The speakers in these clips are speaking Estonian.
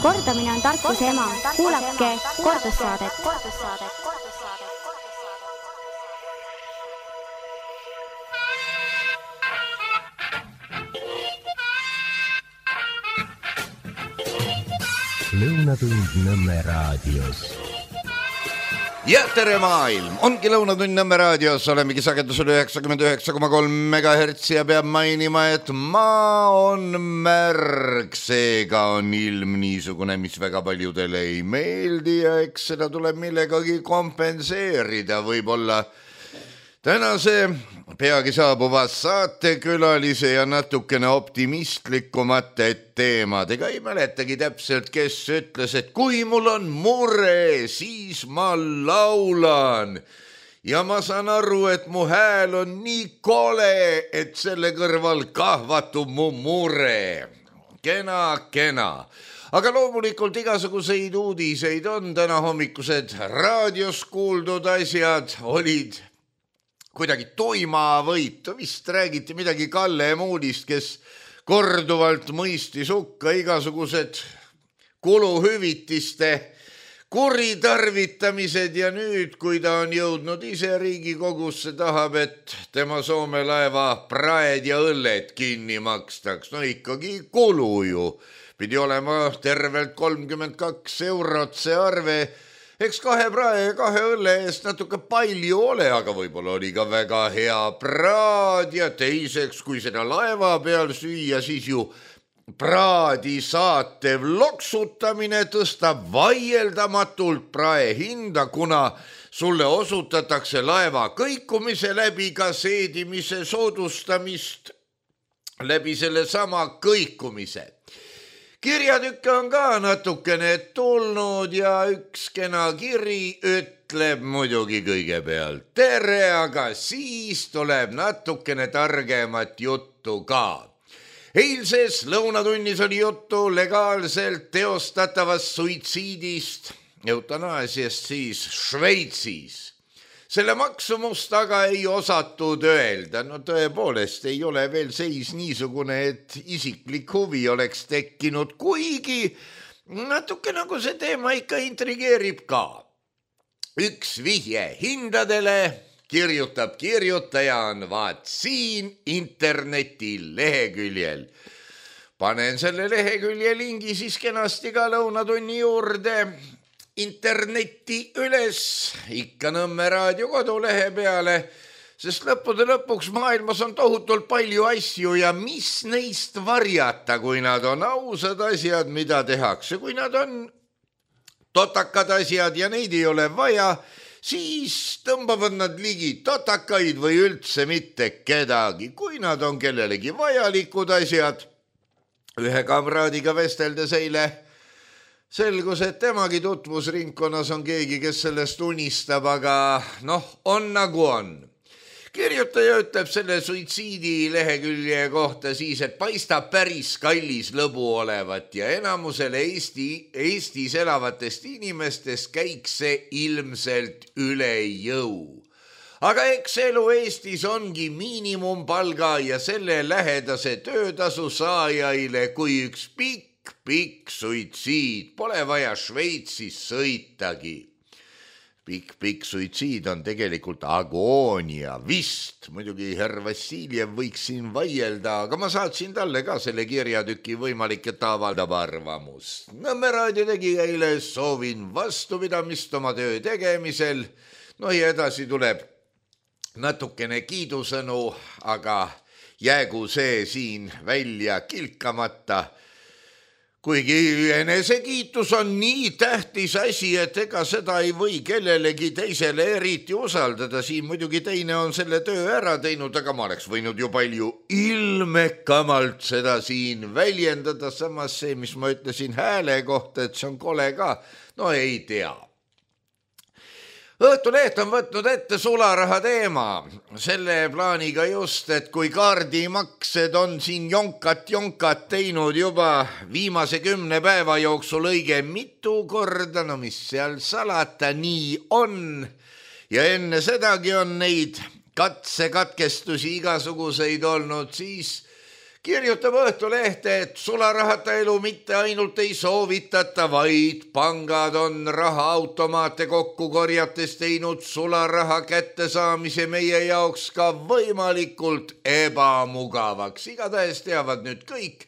Kordamine on tarkuse ema. Kuulake kordussaadet. Lõunatund Nõmme raadios. Ja tere maailm! Ongi Lõunatund Nõmme raadios, olemegi sagedusel 99,3 MHz ja peab mainima, et maa on märg, seega on ilm niisugune, mis väga paljudele ei meeldi ja eks seda tuleb millegagi kompenseerida. Võib-olla tänase peagi saabuva saatekülalise ja natukene optimistlikumate teemadega. Ei mäletagi täpselt, kes ütles, et kui mul on mure, siis ma laulan. Ja ma saan aru, et mu hääl on nii kole, et selle kõrval kahvatub mu mure. Kena. Aga loomulikult igasuguseid uudiseid on. Täna hommikused raadios kuuldud asjad olid kuidagi toimavõitu, vist räägiti midagi Kalle Muudist, kes korduvalt mõistis hukka igasugused kuluhüvitiste kuritarvitamised ja nüüd, kui ta on jõudnud ise Riigikogusse, tahab, et tema Soome laeva praed ja õlled kinni makstaks. No ikkagi kulu ju. Pidi olema tervelt 32 eurot see arve. Eks 2 prae ja 2 õlle eest natuke palju ole, aga võib-olla oli ka väga hea praad ja teiseks, kui seda laeva peal süüa, siis ju praadi saatev loksutamine tõstab vaieldamatult prae hinda, kuna sulle osutatakse laeva kõikumise läbi ka seedimise soodustamist läbi selle sama kõikumise. Kirjatükke on ka natukene tulnud ja üks kena kiri ütleb muidugi kõigepealt tere, aga siis tuleb natukene targemat juttu ka. Eilses lõunatunnis oli juttu legaalselt teostatavast suitsiidist, eutanaasiast siis Šveitsis. Selle maksumust aga ei osatud öelda. No tõepoolest ei ole veel seis niisugune, et isiklik huvi oleks tekkinud, kuigi natuke nagu see teema ikka intrigeerib ka. Üks vihje hindadele kirjutab kirjutaja on vaat siin interneti leheküljel. Panen selle lehekülje lingi siis kenasti ka lõunatunni juurde internetti üles, ikka Nõmme raadio kodulehe peale, sest lõppude lõpuks maailmas on tohutult palju asju ja mis neist varjata, kui nad on ausad asjad, mida tehakse. Kui nad on totakad asjad ja neid ei ole vaja, siis tõmbavad nad ligi totakaid või üldse mitte kedagi. Kui nad on kellelegi vajalikud asjad, ühe kamraadiga vesteldes eile selgus, et temagi tutvusringkonnas on keegi, kes sellest unistab, aga on nagu on. Kirjutaja ütleb selle suitsiidi lehekülje kohta siis, et paistab päris kallis lõbu olevat ja enamusele Eestis elavatest inimestest käiks see ilmselt üle jõu. Aga eks elu Eestis ongi miinimumpalga ja selle lähedase töötasu saajaile kui üks pikk suitsiid. Pole vaja Šveitsis sõitagi. Pikk suitsiid on tegelikult agoonia vist. Muidugi herr Vassiljev võiks siin vaielda, aga ma saatsin talle ka selle kirjatüki võimalik, et ta avaldab arvamust. Nõmme raadio tegi eile, soovin vastupidamist oma töö tegemisel. Ja edasi tuleb natukene kiidusõnu, aga jäägu see siin välja kilkamata. Kuigi enesekiitus on nii tähtis asi, et ega seda ei või kellelegi teisele eriti usaldada. Siin muidugi teine on selle töö ära teinud, aga ma oleks võinud ju palju ilmekamalt seda siin väljendada. Samas see, mis ma ütlesin hääle kohta, et see on kole ka, ei tea. Õhtuleht on võtnud ette sularaha teema. Selle plaaniga just, et kui kaardimaksed on siin jonkat teinud juba viimase 10 päeva jooksul õige mitu korda, mis seal salata, nii on. Ja enne sedagi on neid katsekatkestusi igasuguseid olnud, siis Kirjutab Õhtulehte, et sularahata elu mitte ainult ei soovitata, vaid pangad on rahaautomaate kokku korjates teinud sularaha kättesaamise meie jaoks ka võimalikult ebamugavaks. Igatahes teavad nüüd kõik,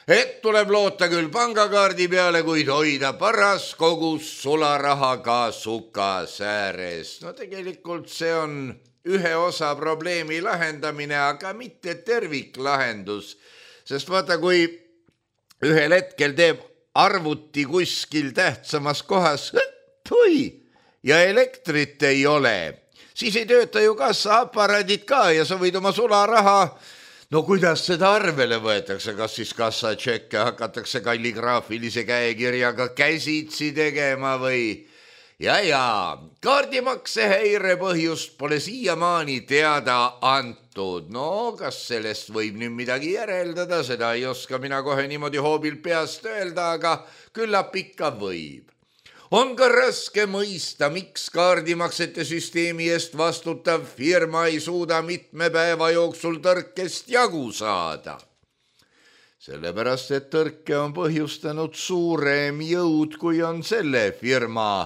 et tuleb loota küll pangakaardi peale, kuid hoida paras kogus sularaha ka sukas ääres. No tegelikult see on ühe osa probleemi lahendamine, aga mitte terviklahendus, sest vaata, kui ühel hetkel teeb arvuti kuskil tähtsamas kohas ja elektrit ei ole, siis ei tööta ju kassaaparaadid ka ja sa võid oma sularaha, no kuidas seda arvele võetakse, kas siis kassatšekke hakatakse kalligraafilise käekirjaga käsitsi tegema või ja, kaardimakse häire põhjust pole siiamaani teada antud. No, kas sellest võib nüüd midagi järeldada, seda ei oska mina kohe niimoodi hoobil peast öelda, aga küllap ikka võib. On ka raske mõista, miks kaardimaksete süsteemi eest vastutav firma ei suuda mitme päeva jooksul tõrkest jagu saada. Sellepärast, et tõrke on põhjustanud suurem jõud, kui on selle firma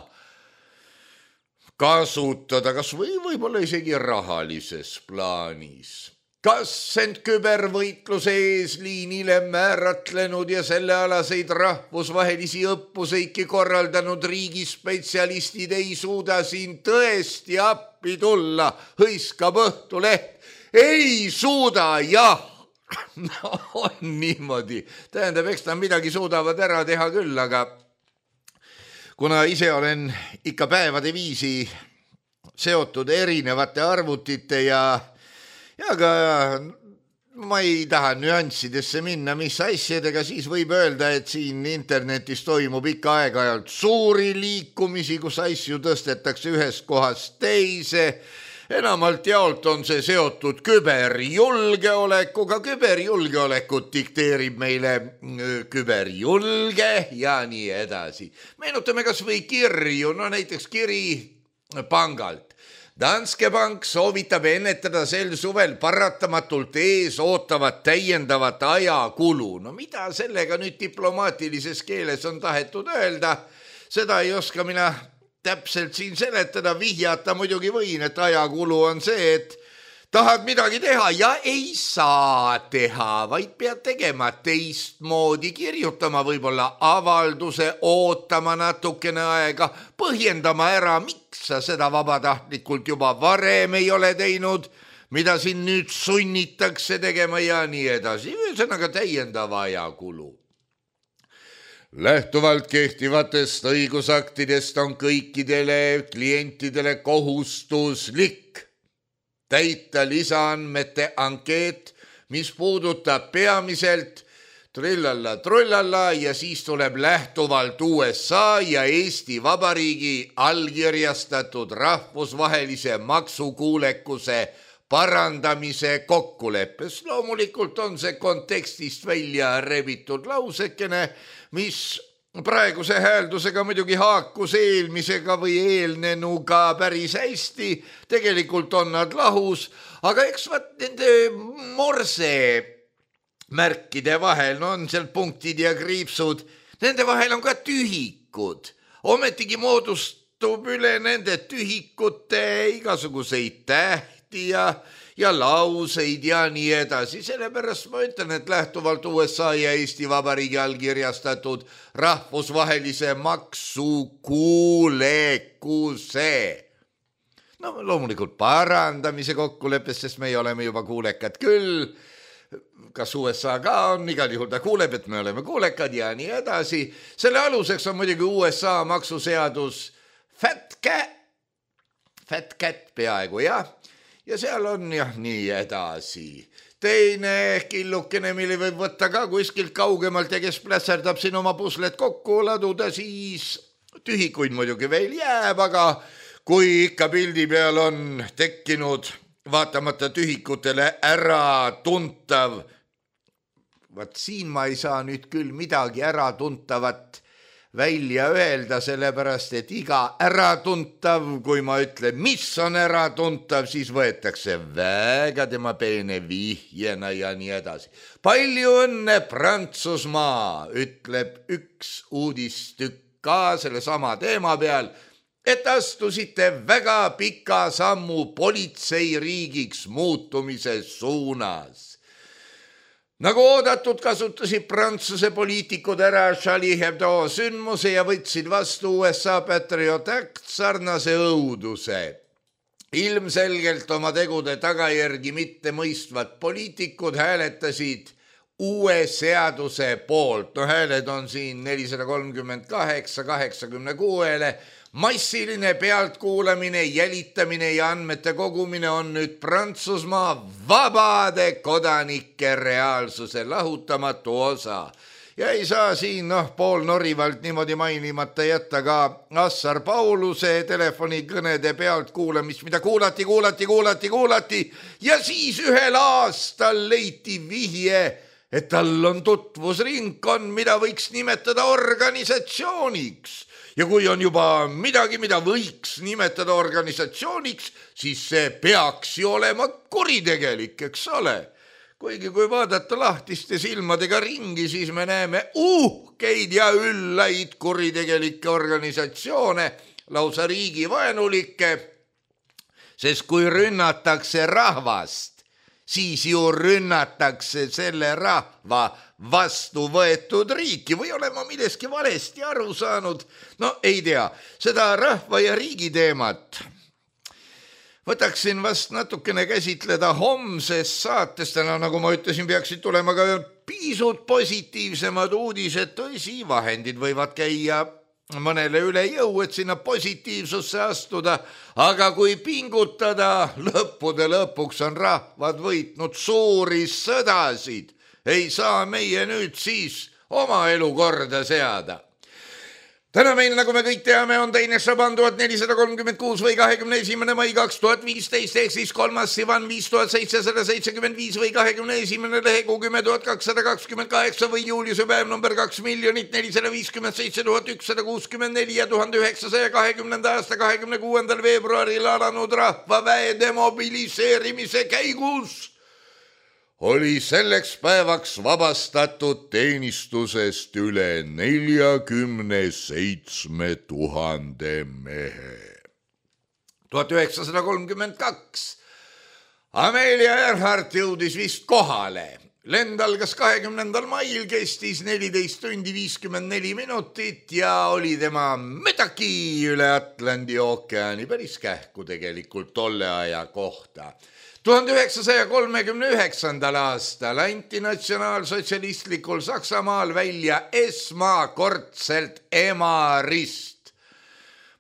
kasutada, kas võib-olla isegi rahalises plaanis. Kas end kübervõitluse eesliinile määratlenud ja sellealaseid rahvusvahelisi õppuseidki korraldanud riigispetsialistid ei suuda siin tõesti appi tulla, hõiskab Õhtuleht. Ei suuda, jah. No, on niimoodi. Tähendab, eks nad midagi suudavad ära teha küll, aga kuna ise olen ikka päevade viisi seotud erinevate arvutite ja ka ma ei taha nüanssidesse minna, mis asjadega, siis võib öelda, et siin internetis toimub ikka aeg-ajalt suuri liikumisi, kus asju tõstetakse ühest kohast teise. Enamalt jaolt on see seotud küberjulgeolekuga, küberjulgeolekut dikteerib meile küberjulge ja nii edasi. Meenutame kas või kirju, no näiteks kiri pangalt. Danske Bank soovitab ennetada sel suvel paratamatult ees ootavat täiendavat ajakulu. No mida sellega nüüd diplomaatilises keeles on tahetud öelda, seda ei oska mina täpselt siin seletada, vihjata muidugi võin, et ajakulu on see, et tahad midagi teha ja ei saa teha, vaid pead tegema teistmoodi, kirjutama võib-olla avalduse, ootama natukene aega, põhjendama ära, miks sa seda vabatahtlikult juba varem ei ole teinud, mida siin nüüd sunnitakse tegema ja nii edasi. Ühesõnaga täiendava ajakulu. Lähtuvalt kehtivatest õigusaktidest on kõikidele klientidele kohustuslik täita lisaandmete ankeet, mis puudutab peamiselt trullalla ja siis tuleb lähtuvalt USA ja Eesti Vabariigi allkirjastatud rahvusvahelise maksukuulekuse parandamise kokkuleppes. Loomulikult on see kontekstist välja rebitud lausekene, mis praeguse hääldusega muidugi haakus eelmisega või eelnenuga päris hästi. Tegelikult on nad lahus, aga eks nende morse märkide vahel, no on seal punktid ja kriipsud, nende vahel on ka tühikud. Ometigi moodustub üle nende tühikute igasuguseid tähti ja lauseid ja nii edasi. Sellepärast ma ütlen, et lähtuvalt USA ja Eesti Vabariigi allkirjastatud rahvusvahelise maksukuulekuse. No loomulikult parandamise kokkuleppes, sest me oleme juba kuulekad küll. Kas USA ka on, igal juhul ta kuuleb, et me oleme kuulekad ja nii edasi. Selle aluseks on muidugi USA maksuseadus Fat Cat peaaegu, jah. Ja seal on jah nii edasi. Teine killukene, mille võib võtta ka kuskilt kaugemalt ja kes plässerdab siin oma puslet kokku laduda, siis tühikuid muidugi veel jääb, aga kui ikka pildi peal on tekkinud vaatamata tühikutele ära tuntav, vaat siin ma ei saa nüüd küll midagi ära tuntavat välja öelda, sellepärast et iga äratuntav, kui ma ütlen, mis on äratuntav, siis võetakse väga tema peene vihjena ja nii edasi. Palju õnne Prantsusmaa, ütleb üks uudistükk ka selle sama teema peal, et astusite väga pika sammu politseiriigiks muutumise suunas. Nagu oodatud, kasutasid Prantsuse poliitikud ära Charlie Hebdo sündmuse ja võtsid vastu USA Patriot Act sarnase õuduse. Ilmselgelt oma tegude tagajärgi mitte mõistvad poliitikud hääletasid uue seaduse poolt. Hääled on siin 438-86-le. Massiline pealtkuulamine, jälitamine ja andmete kogumine on nüüd Prantsusmaa vabade kodanike reaalsuse lahutamatu osa. Ja ei saa siin poolnorivalt niimoodi mainimata jätta ka Assar Pauluse telefonikõnede pealtkuulamist, mida kuulati ja siis ühel aastal leiti vihje, et tal on tutvusringkond, mida võiks nimetada organisatsiooniks. Ja kui on juba midagi, mida võiks nimetada organisatsiooniks, siis see peaks ju olema kuritegelik, eks ole. Kuigi kui vaadata lahtiste silmadega ringi, siis me näeme uhkeid ja üllaid kuritegelikke organisatsioone, lausa riigivaenulikke, sest kui rünnatakse rahvast, siis ju rünnatakse selle rahva vastu võetud riiki või olen ma millestki valesti aru saanud? No ei tea, seda rahva ja riigi teemat võtaksin vast natukene käsitleda homses saates. Täna, nagu ma ütlesin, peaksid tulema ka pisut positiivsemad uudised. Tõsi, vahendid võivad käia mõnele üle jõu, et sinna positiivsusse astuda, aga kui pingutada, lõppude lõpuks on rahvad võitnud suuri sõdasid. Ei saa meie nüüd siis oma elu korda seada. Täna meil, nagu me kõik teame, on teine Šaban 1436 või 21. mai 2015 ehk siis 3. Sivan 5775 või 21. lehekuu 10.228 või Juliuse päev number 2,457,164 ja 1920. aasta 26. veebruaril alanud rahvaväe demobiliseerimise käigus oli selleks päevaks vabastatud teenistusest üle 47 000 mehe. 1932. Amelia Earhart jõudis vist kohale. Lend algas 20. mail, kestis 14 tundi 54 minutit ja oli tema mütaki üle Atlandi ookeani, päris kähku tegelikult tolle aja kohta. 1939. aastal anti natsionaalsotsialistlikul Saksamaal välja esmakordselt emarist.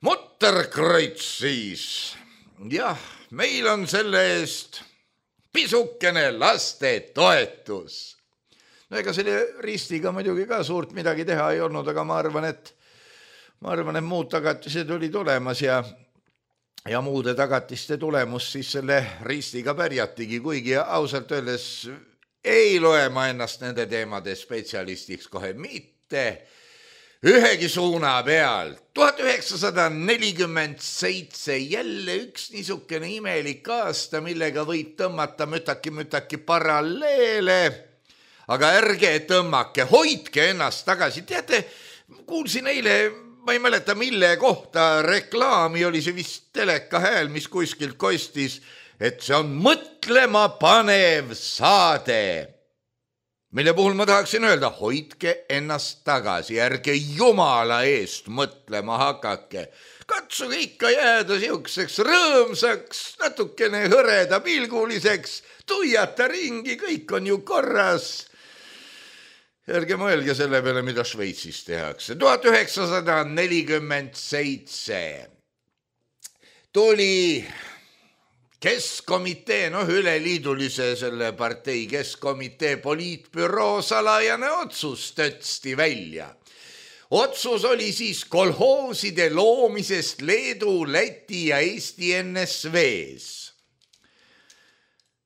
Mutterkreuz siis. Jah, meil on selle eest pisukene lastetoetus. No ega selle ristiga muidugi ka suurt midagi teha ei olnud, aga ma arvan, et muud tagatised olid olemas ja muude tagatiste tulemus siis selle ristiga pärjatigi, kuigi ausalt öeldes ei loe ma ennast nende teemade spetsialistiks kohe mitte ühegi suuna peal. 1947 jälle üks niisugune imelik aasta, millega võib tõmmata mütaki paralleele, aga ärge tõmmake, hoidke ennast tagasi. Teate, kuulsin eile, ma ei mäleta, mille kohta reklaami, oli see vist teleka hääl, mis kuskilt kostis, et see on mõtlema panev saade, mille puhul ma tahaksin öelda, hoidke ennast tagasi, ärge jumala eest mõtlema hakake. Katsuge ikka jääda siukseks rõõmsaks, natukene hõreda pilguliseks, tuiata ringi, kõik on ju korras. Ärge mõelge selle peale, mida Šveitsis tehakse. 1947 tuli Keskkomitee, üleliidulise selle partei Keskkomitee poliitbüroo salajane otsus tõtsti välja. Otsus oli siis kolhooside loomisest Leedu, Läti ja Eesti NSV-s.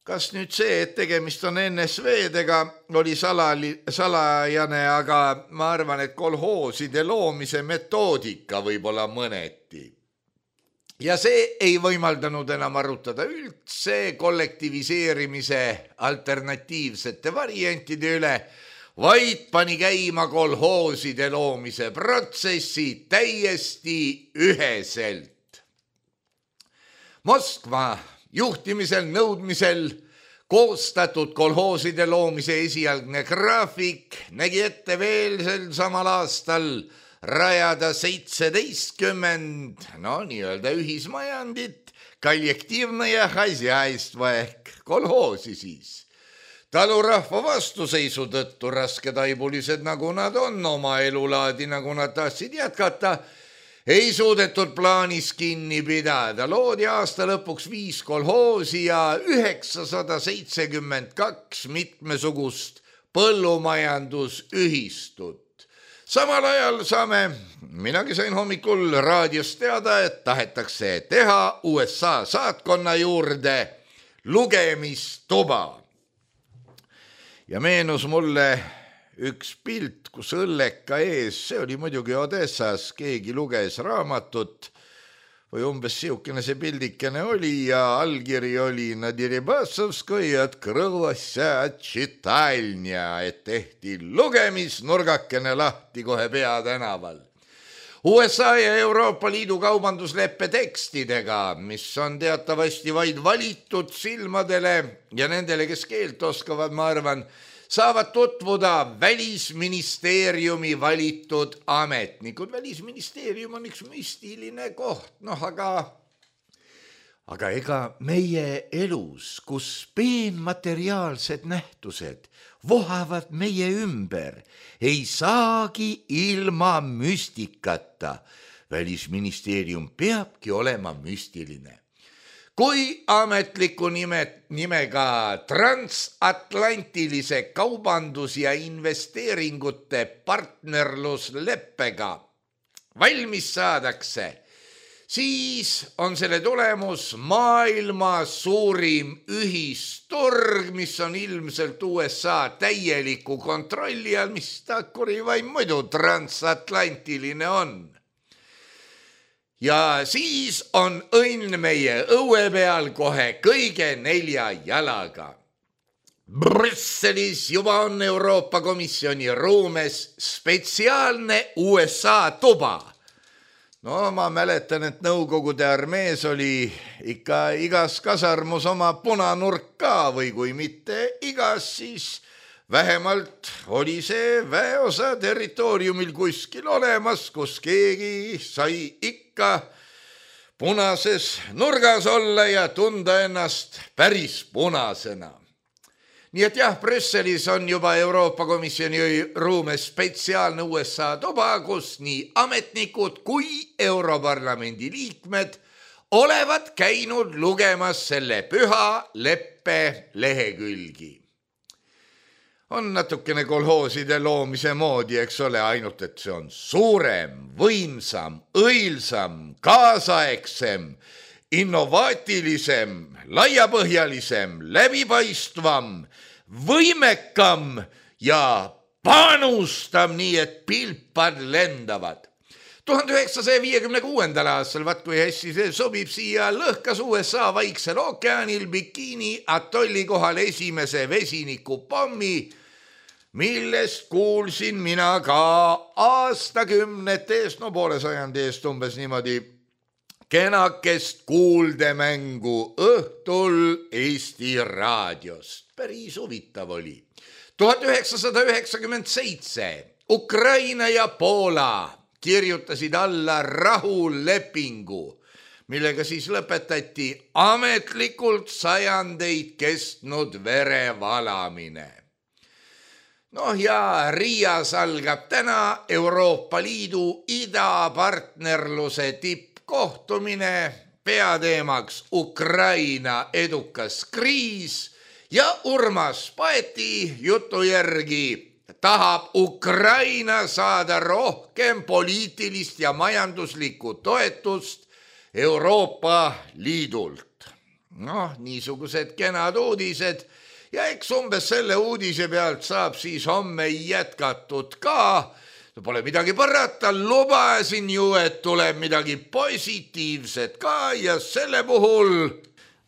kas nüüd see, et tegemist on NSV-dega, oli salajane, aga ma arvan, et kolhooside loomise metoodika võib-olla mõneti. Ja see ei võimaldanud enam arutada üldse kollektiviseerimise alternatiivsete variantide üle, vaid pani käima kolhooside loomise protsessi täiesti üheselt. Moskva juhtimisel, nõudmisel koostatud kolhooside loomise esialgne graafik nägi ette veel sel samal aastal rajada 17 nii-öelda ühismajandit, kollektiivne ja hasiaistva ehk kolhoosi siis. Talurahva vastuseisu tõttu rasketaibulised, nagu nad on, oma elulaadi, nagu nad tahtsid jätkata, ei suudetud plaanis kinni pidada. Loodi aasta lõpuks 5 kolhoosi ja 972 mitmesugust põllumajandusühistut. Samal ajal minagi sain hommikul raadiost teada, et tahetakse teha USA saatkonna juurde lugemistuba. Ja meenus mulle üks pilt, kus õlleka ees, see oli muidugi Odessas, keegi luges raamatut või umbes siukene see pildikene oli ja allkiri oli na Deribasovskoja открылася читальня, et tehti lugemisnurgakene lahti kohe peatänaval. USA ja Euroopa Liidu kaubandusleppe tekstidega, mis on teatavasti vaid valitud silmadele ja nendele, kes keelt oskavad, ma arvan, saavad tutvuda Välisministeeriumi valitud ametnikud. Välisministeerium on üks müstiline koht, aga ega meie elus, kus peenmateriaalsed nähtused vohavad meie ümber, ei saagi ilma müstikata. Välisministeerium peabki olema müstiline. Kui ametliku nimega transatlantilise kaubandus- ja investeeringute partnerlusleppega valmis saadakse, siis on selle tulemus maailma suurim ühisturg, mis on ilmselt USA täieliku kontrolli all, mis ta kurivaim muidu transatlantiline on. Ja siis on õnn meie õue peal kohe kõige 4 jalaga. Brüsselis juba on Euroopa Komisjoni ruumes spetsiaalne USA tuba. Ma mäletan, et Nõukogude armees oli ikka igas kasarmus oma punanurk ka või kui mitte igas, siis vähemalt oli see väeosa territooriumil kuskil olemas, kus keegi sai ikka punases nurgas olla ja tunda ennast päris punasena. Nii et jah, Brüsselis on juba Euroopa Komisjoni ruumes spetsiaalne USA tuba, kus nii ametnikud kui Europarlamendi liikmed olevat käinud lugemas selle püha leppe lehekülgi. On natukene kolhooside loomise moodi, eks ole, ainult et see on suurem, võimsam, õilsam, kaasaegsem, innovaatilisem, laiapõhjalisem, läbipaistvam, võimekam ja panustam nii, et pilpad lendavad. 1956. aastal, kui hästi see sobib siia, lõhkas USA Vaiksel ookeanil Bikini atolli kohal esimese vesinikupommi, millest kuulsin mina ka aastakümnete eest, poole sajandi eest umbes niimoodi, kenakest kuuldemängu õhtul Eesti raadiost. Päris huvitav oli. 1997 Ukraina ja Poola kirjutasid alla rahulepingu, millega siis lõpetati ametlikult sajandeid kestnud verevalamine. Ja Riias algab täna Euroopa Liidu idapartnerluse tippkohtumine, peateemaks Ukraina edukas kriis ja Urmas Paeti jutu järgi tahab Ukraina saada rohkem poliitilist ja majanduslikku toetust Euroopa Liidult. Noh, niisugused kenad uudised ja eks umbes selle uudise pealt saab siis homme jätkatud ka. Pole midagi parata, lubasin ju, et tuleb midagi positiivset ka ja selle puhul...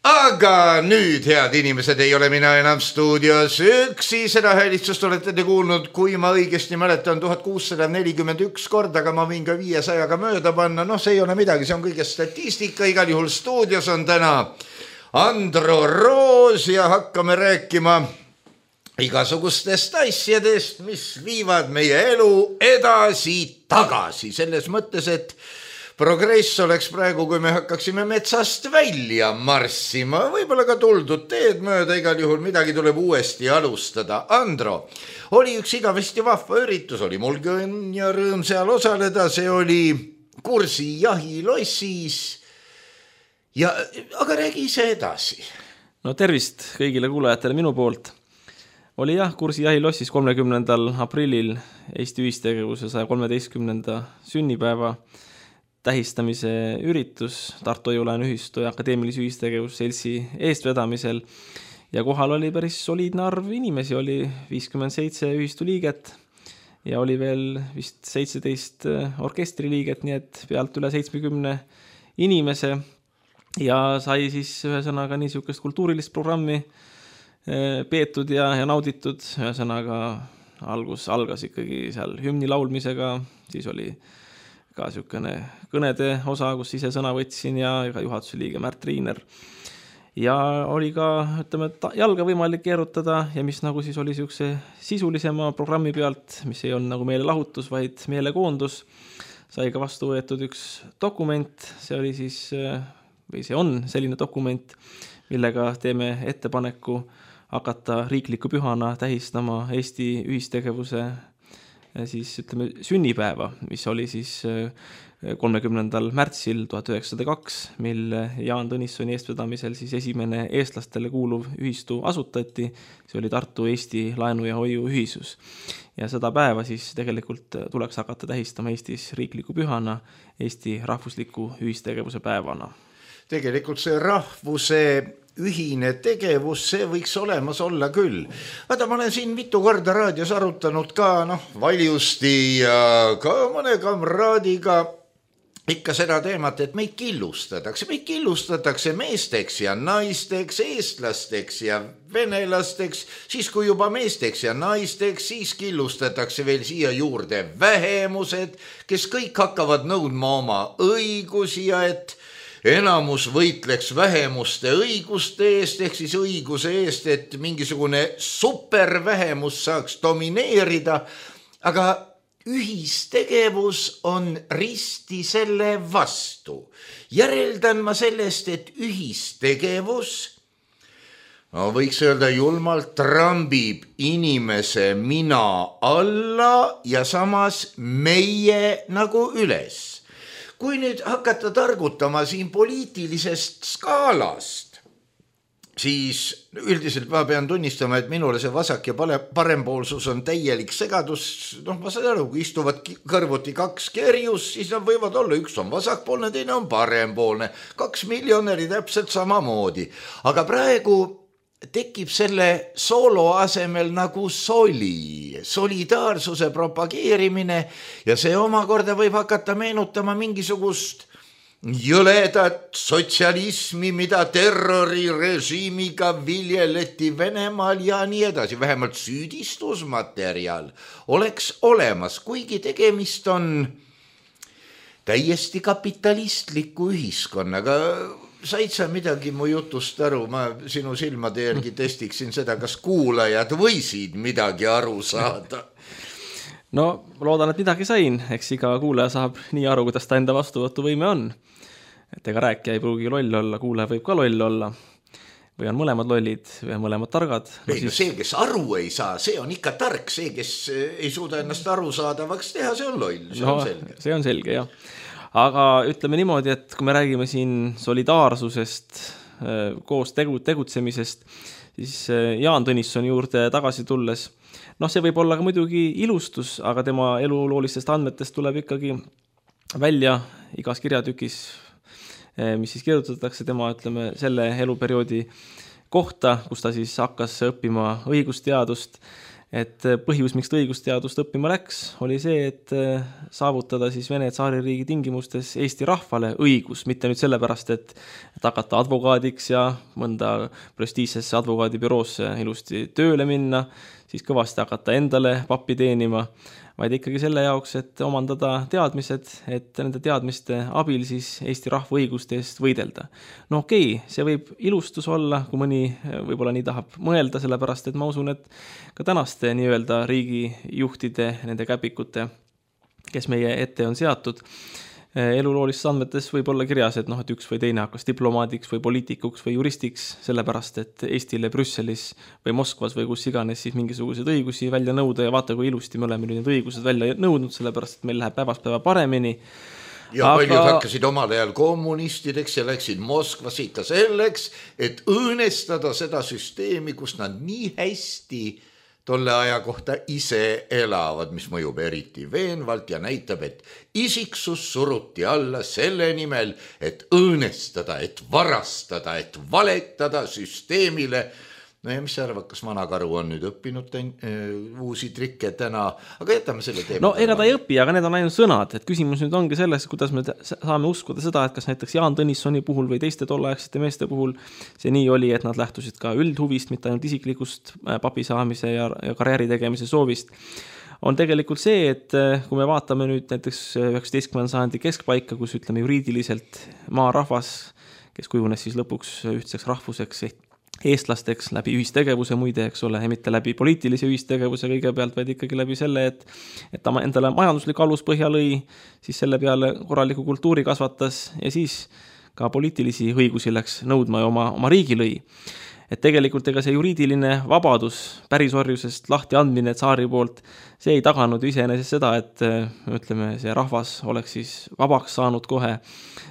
Aga nüüd, head inimesed, ei ole mina enam stuudios üksi, seda häälitsust olete te kuulnud, kui ma õigesti mäletan, 1641 korda, aga ma võin ka 500-ga mööda panna, noh, see ei ole midagi, see on kõige statistika, igal juhul stuudios on täna Andro Roos ja hakkame rääkima igasugustest asjadest, mis viivad meie elu edasi-tagasi, selles mõttes, et progress oleks praegu, kui me hakkaksime metsast välja marssima, võib-olla ka tuldud teed mööda, igal juhul midagi tuleb uuesti alustada. Andro, oli üks igavesti vahva üritus, oli mul õnn ja rõõm seal osaleda, see oli Kursi jahilossis. Aga räägi ise edasi. No tervist kõigile kuulajatele minu poolt. Oli jah, Kursi jahilossis 30. aprillil Eesti ühistegevuse 113. sünnipäeva tähistamise üritus Tartu Hoiu-laenu ühistu ja akadeemilise ühistegevusseltsi eestvedamisel ja kohal oli päris soliidne arv inimesi, oli 57 ühistu liiget ja oli veel vist 17 orkestriliiget, nii et pealt üle 70 inimese ja sai siis ühesõnaga niisugust kultuurilist programmi peetud ja nauditud, ühesõnaga algas ikkagi seal hümni laulmisega, siis oli ka niisugune kõnede osa, kus ise sõna võtsin ja juhatuse liige Märt Riiner. Ja oli ka, ütleme, jalga võimalik keerutada ja mis nagu siis oli niisuguse sisulisema programmi pealt, mis ei olnud nagu meelelahutus, vaid meelekoondus, sai ka vastu võetud üks dokument, see oli siis, või see on selline dokument, millega teeme ettepaneku hakata riikliku pühana tähistama Eesti ühistegevuse siis ütleme sünnipäeva, mis oli siis 30. märtsil 1902, mil Jaan Tõnissoni eestvedamisel siis esimene eestlastele kuuluv ühistu asutati, see oli Tartu Eesti Laenu ja Hoiu ühisus. Ja seda päeva siis tegelikult tuleks hakata tähistama Eestis riikliku pühana, Eesti rahvusliku ühistegevuse päevana. Tegelikult see rahvuse ühine tegevus, see võiks olemas olla küll. Vaata, ma olen siin mitu korda raadios arutanud ka, Valjusti ja ka mõne kamraadiga ikka seda teemat, et meid killustatakse meesteks ja naisteks, eestlasteks ja venelasteks, siis kui juba meesteks ja naisteks, siis killustatakse veel siia juurde vähemused, kes kõik hakkavad nõudma oma õigusi ja et enamus võitleks vähemuste õiguste eest, ehk siis õiguse eest, et mingisugune supervähemus saaks domineerida, aga ühistegevus on risti selle vastu. Järeldan ma sellest, et ühistegevus, võiks öelda julmalt, trambib inimese mina alla ja samas meie nagu üles. Kui nüüd hakata targutama siin poliitilisest skaalast, siis üldiselt ma pean tunnistama, et minule see vasak ja parempoolsus on täielik segadus. Ma saan aru, kui istuvad kõrvuti kaks kerjus, siis nad võivad olla, üks on vasakpoolne, teine on parempoolne. 2 miljonäri täpselt samamoodi. Aga praegu tekib selle soolo asemel nagu solidaarsuse propageerimine ja see omakorda võib hakata meenutama mingisugust jõledat sotsialismi, mida terrorirežiimiga viljeleti Venemaal ja nii edasi. Vähemalt süüdistusmaterjal oleks olemas, kuigi tegemist on täiesti kapitalistliku ühiskonnaga. Said sa midagi mu jutust aru? Ma sinu silmade järgi testiksin seda, kas kuulajad võisid midagi aru saada. No, loodan, et midagi sain. Eks iga kuulaja saab nii aru, kuidas ta enda vastuvõtuvõime on. Et ega rääkija ei pruugi loll olla, kuulaja võib ka loll olla. Või on mõlemad lollid, või on mõlemad targad. See, kes aru ei saa, see on ikka tark. See, kes ei suuda ennast aru saadavaks teha, see on loll. See on selge. See on selge, jah. Aga ütleme niimoodi, et kui me räägime siin solidaarsusest, koos tegutsemisest, siis Jaan Tõnissoni juurde tagasi tulles, see võib olla ka muidugi ilustus, aga tema eluloolistest andmetest tuleb ikkagi välja igas kirjatükis mis siis kirjutatakse tema, ütleme, selle eluperioodi kohta, kus ta siis hakkas õppima õigusteadust. Et põhjus, miks ta õigusteadust õppima läks, oli see, et saavutada siis Vene tsaaririigi tingimustes Eesti rahvale õigus, mitte nüüd sellepärast, et hakata advokaadiks ja mõnda prestiižsesse advokaadibüroosse ilusti tööle minna, siis kõvasti hakata endale pappi teenima, vaid ikkagi selle jaoks, et omandada teadmised, et nende teadmiste abil siis Eesti rahva õiguste eest võidelda. No okei, see võib ilustus olla, kui mõni võib-olla nii tahab mõelda, sellepärast et ma usun, et ka tänaste nii-öelda riigijuhtide, nende käpikute, kes meie ette on seatud, eluloolistes andmetes võib olla kirjas, et et üks või teine hakkas diplomaadiks või poliitikuks või juristiks, sellepärast et Eestile Brüsselis või Moskvas või kus iganes siis mingisuguseid õigusi välja nõuda ja vaata, kui ilusti me oleme need õigused välja nõudnud, sellepärast et meil läheb päevast päeva paremini. Ja paljud hakkasid omal ajal kommunistideks ja läksid Moskvas ikka selleks, et õõnestada seda süsteemi, kus nad nii hästi tolle aja kohta ise elavad, mis mõjub eriti veenvalt ja näitab, et isiksus suruti alla selle nimel, et õõnestada, et varastada, et valetada süsteemile. No ja mis sa arvad, kas vanakaru on nüüd õppinud uusi trikke täna, aga jätame selle teema. No ega ta ei õpi, aga need on ainult sõnad, et küsimus nüüd ongi selles, kuidas me saame uskuda seda, et kas näiteks Jaan Tõnissoni puhul või teiste tolleaegsete meeste puhul see nii oli, et nad lähtusid ka üldhuvist, mitte ainult isiklikust papi saamise ja karjääri tegemise soovist. On tegelikult see, et kui me vaatame nüüd näiteks 19. sajandi keskpaika, kus ütleme juriidiliselt maarahvas, kes kujunes siis lõpuks ühtseks rahvuseks eestlasteks läbi ühistegevuse muide, eks ole, ja mitte läbi poliitilise ühistegevuse kõigepealt, vaid ikkagi läbi selle, et ta endale majanduslik aluspõhja lõi, siis selle peale korraliku kultuuri kasvatas ja siis ka poliitilisi õigusi läks nõudma ja oma riigi lõi. Et tegelikult ega see juriidiline vabadus pärisorjusest lahti andmine tsaari poolt, see ei taganud iseenesest seda, et ütleme, see rahvas oleks siis vabaks saanud kohe,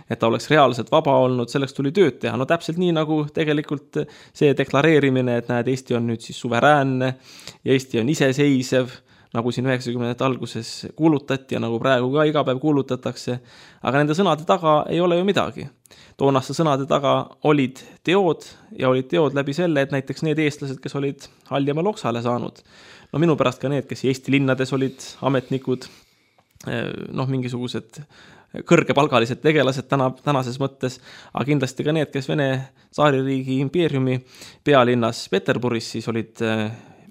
et ta oleks reaalselt vaba olnud, selleks tuli tööd teha. No täpselt nii nagu tegelikult see deklareerimine, et näed, Eesti on nüüd siis suveräänne ja Eesti on iseseisev, nagu siin 90. alguses kuulutati ja nagu praegu ka iga päev kuulutatakse, aga nende sõnade taga ei ole ju midagi. Toonaste sõnade taga olid teod ja olid teod läbi selle, et näiteks need eestlased, kes olid Haljamaa Loksale saanud, no minu pärast ka need, kes Eesti linnades olid ametnikud, mingisugused kõrgepalgalised tegelased tänases mõttes, aga kindlasti ka need, kes Vene tsaaririigi impeeriumi pealinnas Peterburis siis olid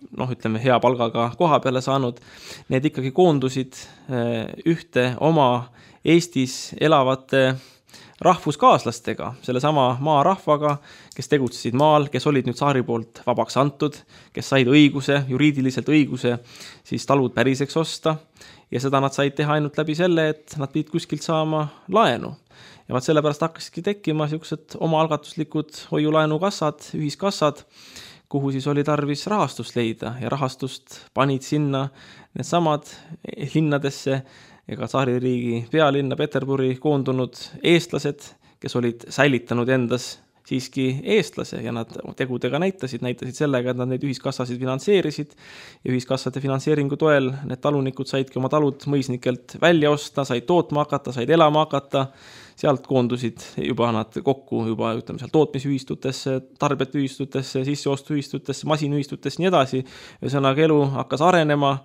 ütleme, hea palgaga koha peale saanud, need ikkagi koondusid ühte oma Eestis elavate rahvuskaaslastega, selle sama maarahvaga, kes tegutsesid maal, kes olid nüüd tsaari poolt vabaks antud, kes said õiguse, juriidiliselt õiguse, siis talud päriseks osta ja seda nad said teha ainult läbi selle, et nad pidid kuskilt saama laenu. Ja vaat sellepärast hakkasidki tekkima sellised omaalgatuslikud hoiulaenukassad, ühiskassad, kuhu siis oli tarvis rahastust leida ja rahastust panid sinna need samad linnadesse ega tsaaririigi pealinna Peterburi koondunud eestlased, kes olid säilitanud endas siiski eestlase ja nad tegudega näitasid sellega, et nad neid ühiskassasid finantseerisid ja ühiskassade finantseeringu toel need talunikud saidki oma talud mõisnikelt välja osta, said tootma hakata, said elama hakata, sealt koondusid juba nad kokku juba ütleme seal tootmisühistutesse, tarbetühistutesse, sisseostuühistutesse, masinühistutesse, nii edasi. Ühesõnaga elu hakkas arenema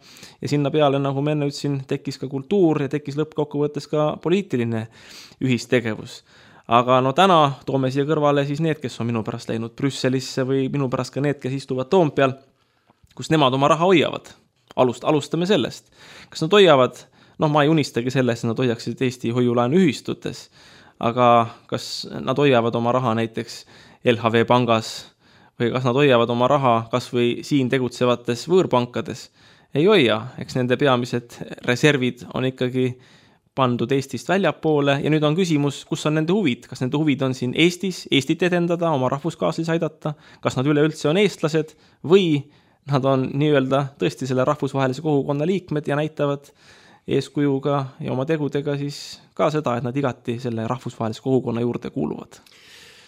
ja sinna peale, nagu ma enne ütlesin, tekkis ka kultuur ja tekkis lõppkokkuvõttes ka poliitiline ühistegevus. Aga täna toome siia kõrvale siis need, kes on minu pärast läinud Brüsselisse või minu pärast ka need, kes istuvad Toompeal, kus nemad oma raha hoiavad. Alustame sellest. Kas nad hoiavad, ma ei unistagi sellest, et nad hoiaksid Eesti hoiulaenu ühistutes, aga kas nad hoiavad oma raha näiteks LHV pangas või kas nad hoiavad oma raha kas või siin tegutsevates võõrpankades? Ei hoia, eks nende peamised reservid on ikkagi pandud Eestist väljapoole ja nüüd on küsimus, kus on nende huvid. Kas nende huvid on siin Eestis, Eestit edendada, oma rahvuskaaslisi aidata, kas nad üleüldse on eestlased või nad on nii-öelda tõesti selle rahvusvahelise kogukonna liikmed ja näitavad eeskujuga ja oma tegudega siis ka seda, et nad igati selle rahvusvahelise kogukonna juurde kuuluvad.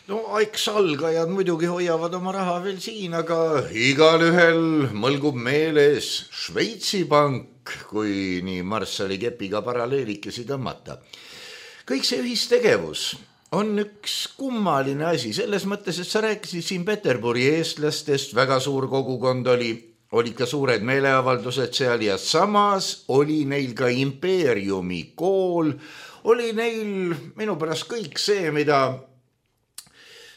No eks algajad muidugi hoiavad oma raha veel siin, aga igalühel mõlgub meeles Šveitsi pank, kui nii Marssali kepiga paralleelikesi tõmmata. Kõik see ühistegevus on üks kummaline asi selles mõttes, et sa rääkisid siin Peterburi eestlastest, väga suur kogukond olid ka suured meeleavaldused seal ja samas oli neil ka impeeriumi kool, oli neil minu pärast kõik see, mida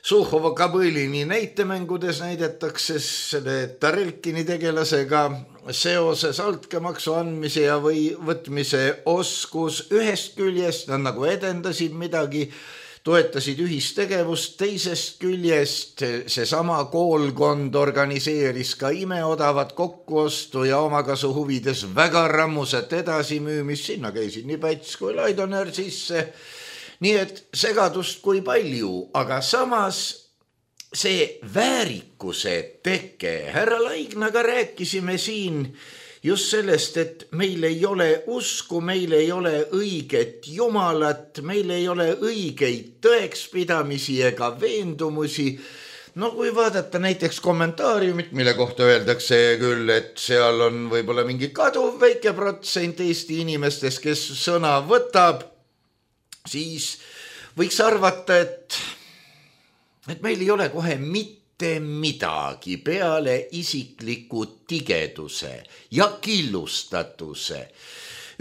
Suhhova Kabõlini näitemängudes näidetakse selle Tarelkini tegelasega seoses altkäemaksu andmise ja või võtmise oskus. Ühest küljest nad nagu edendasid midagi, toetasid ühistegevust, teisest küljest seesama koolkond organiseeris ka imeodavat kokkuostu ja omakasu huvides väga rammuset edasimüümist, sinna käisid nii Päts kui Laidoner sisse. Nii et segadust kui palju, aga samas see väärikuse teke. Härra Laignaga rääkisime siin just sellest, et meil ei ole usku, meil ei ole õiget Jumalat, meil ei ole õigeid tõekspidamisi ega veendumusi. No kui vaadata näiteks kommentaariumit, mille kohta öeldakse küll, et seal on võib-olla mingi kaduv väike protsent Eesti inimestest, kes sõna võtab, siis võiks arvata, et meil ei ole kohe mitte midagi peale isikliku tigeduse ja killustatuse.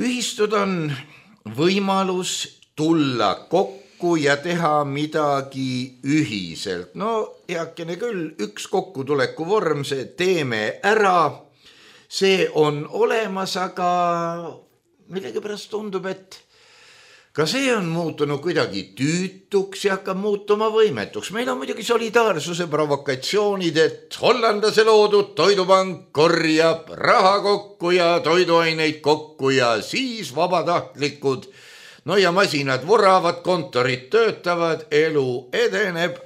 Ühistud on võimalus tulla kokku ja teha midagi ühiselt. No heakene küll, üks kokkutuleku vorm, see teeme ära, see on olemas, aga millegipärast tundub, et ka see on muutunud kuidagi tüütuks ja hakkab muutuma võimetuks. Meil on muidugi solidaarsuse provokatsioonid, et hollandase loodud toidupank korjab raha kokku ja toiduaineid kokku ja siis vabatahtlikud. No ja masinad vuravad, kontorid töötavad, elu edeneb.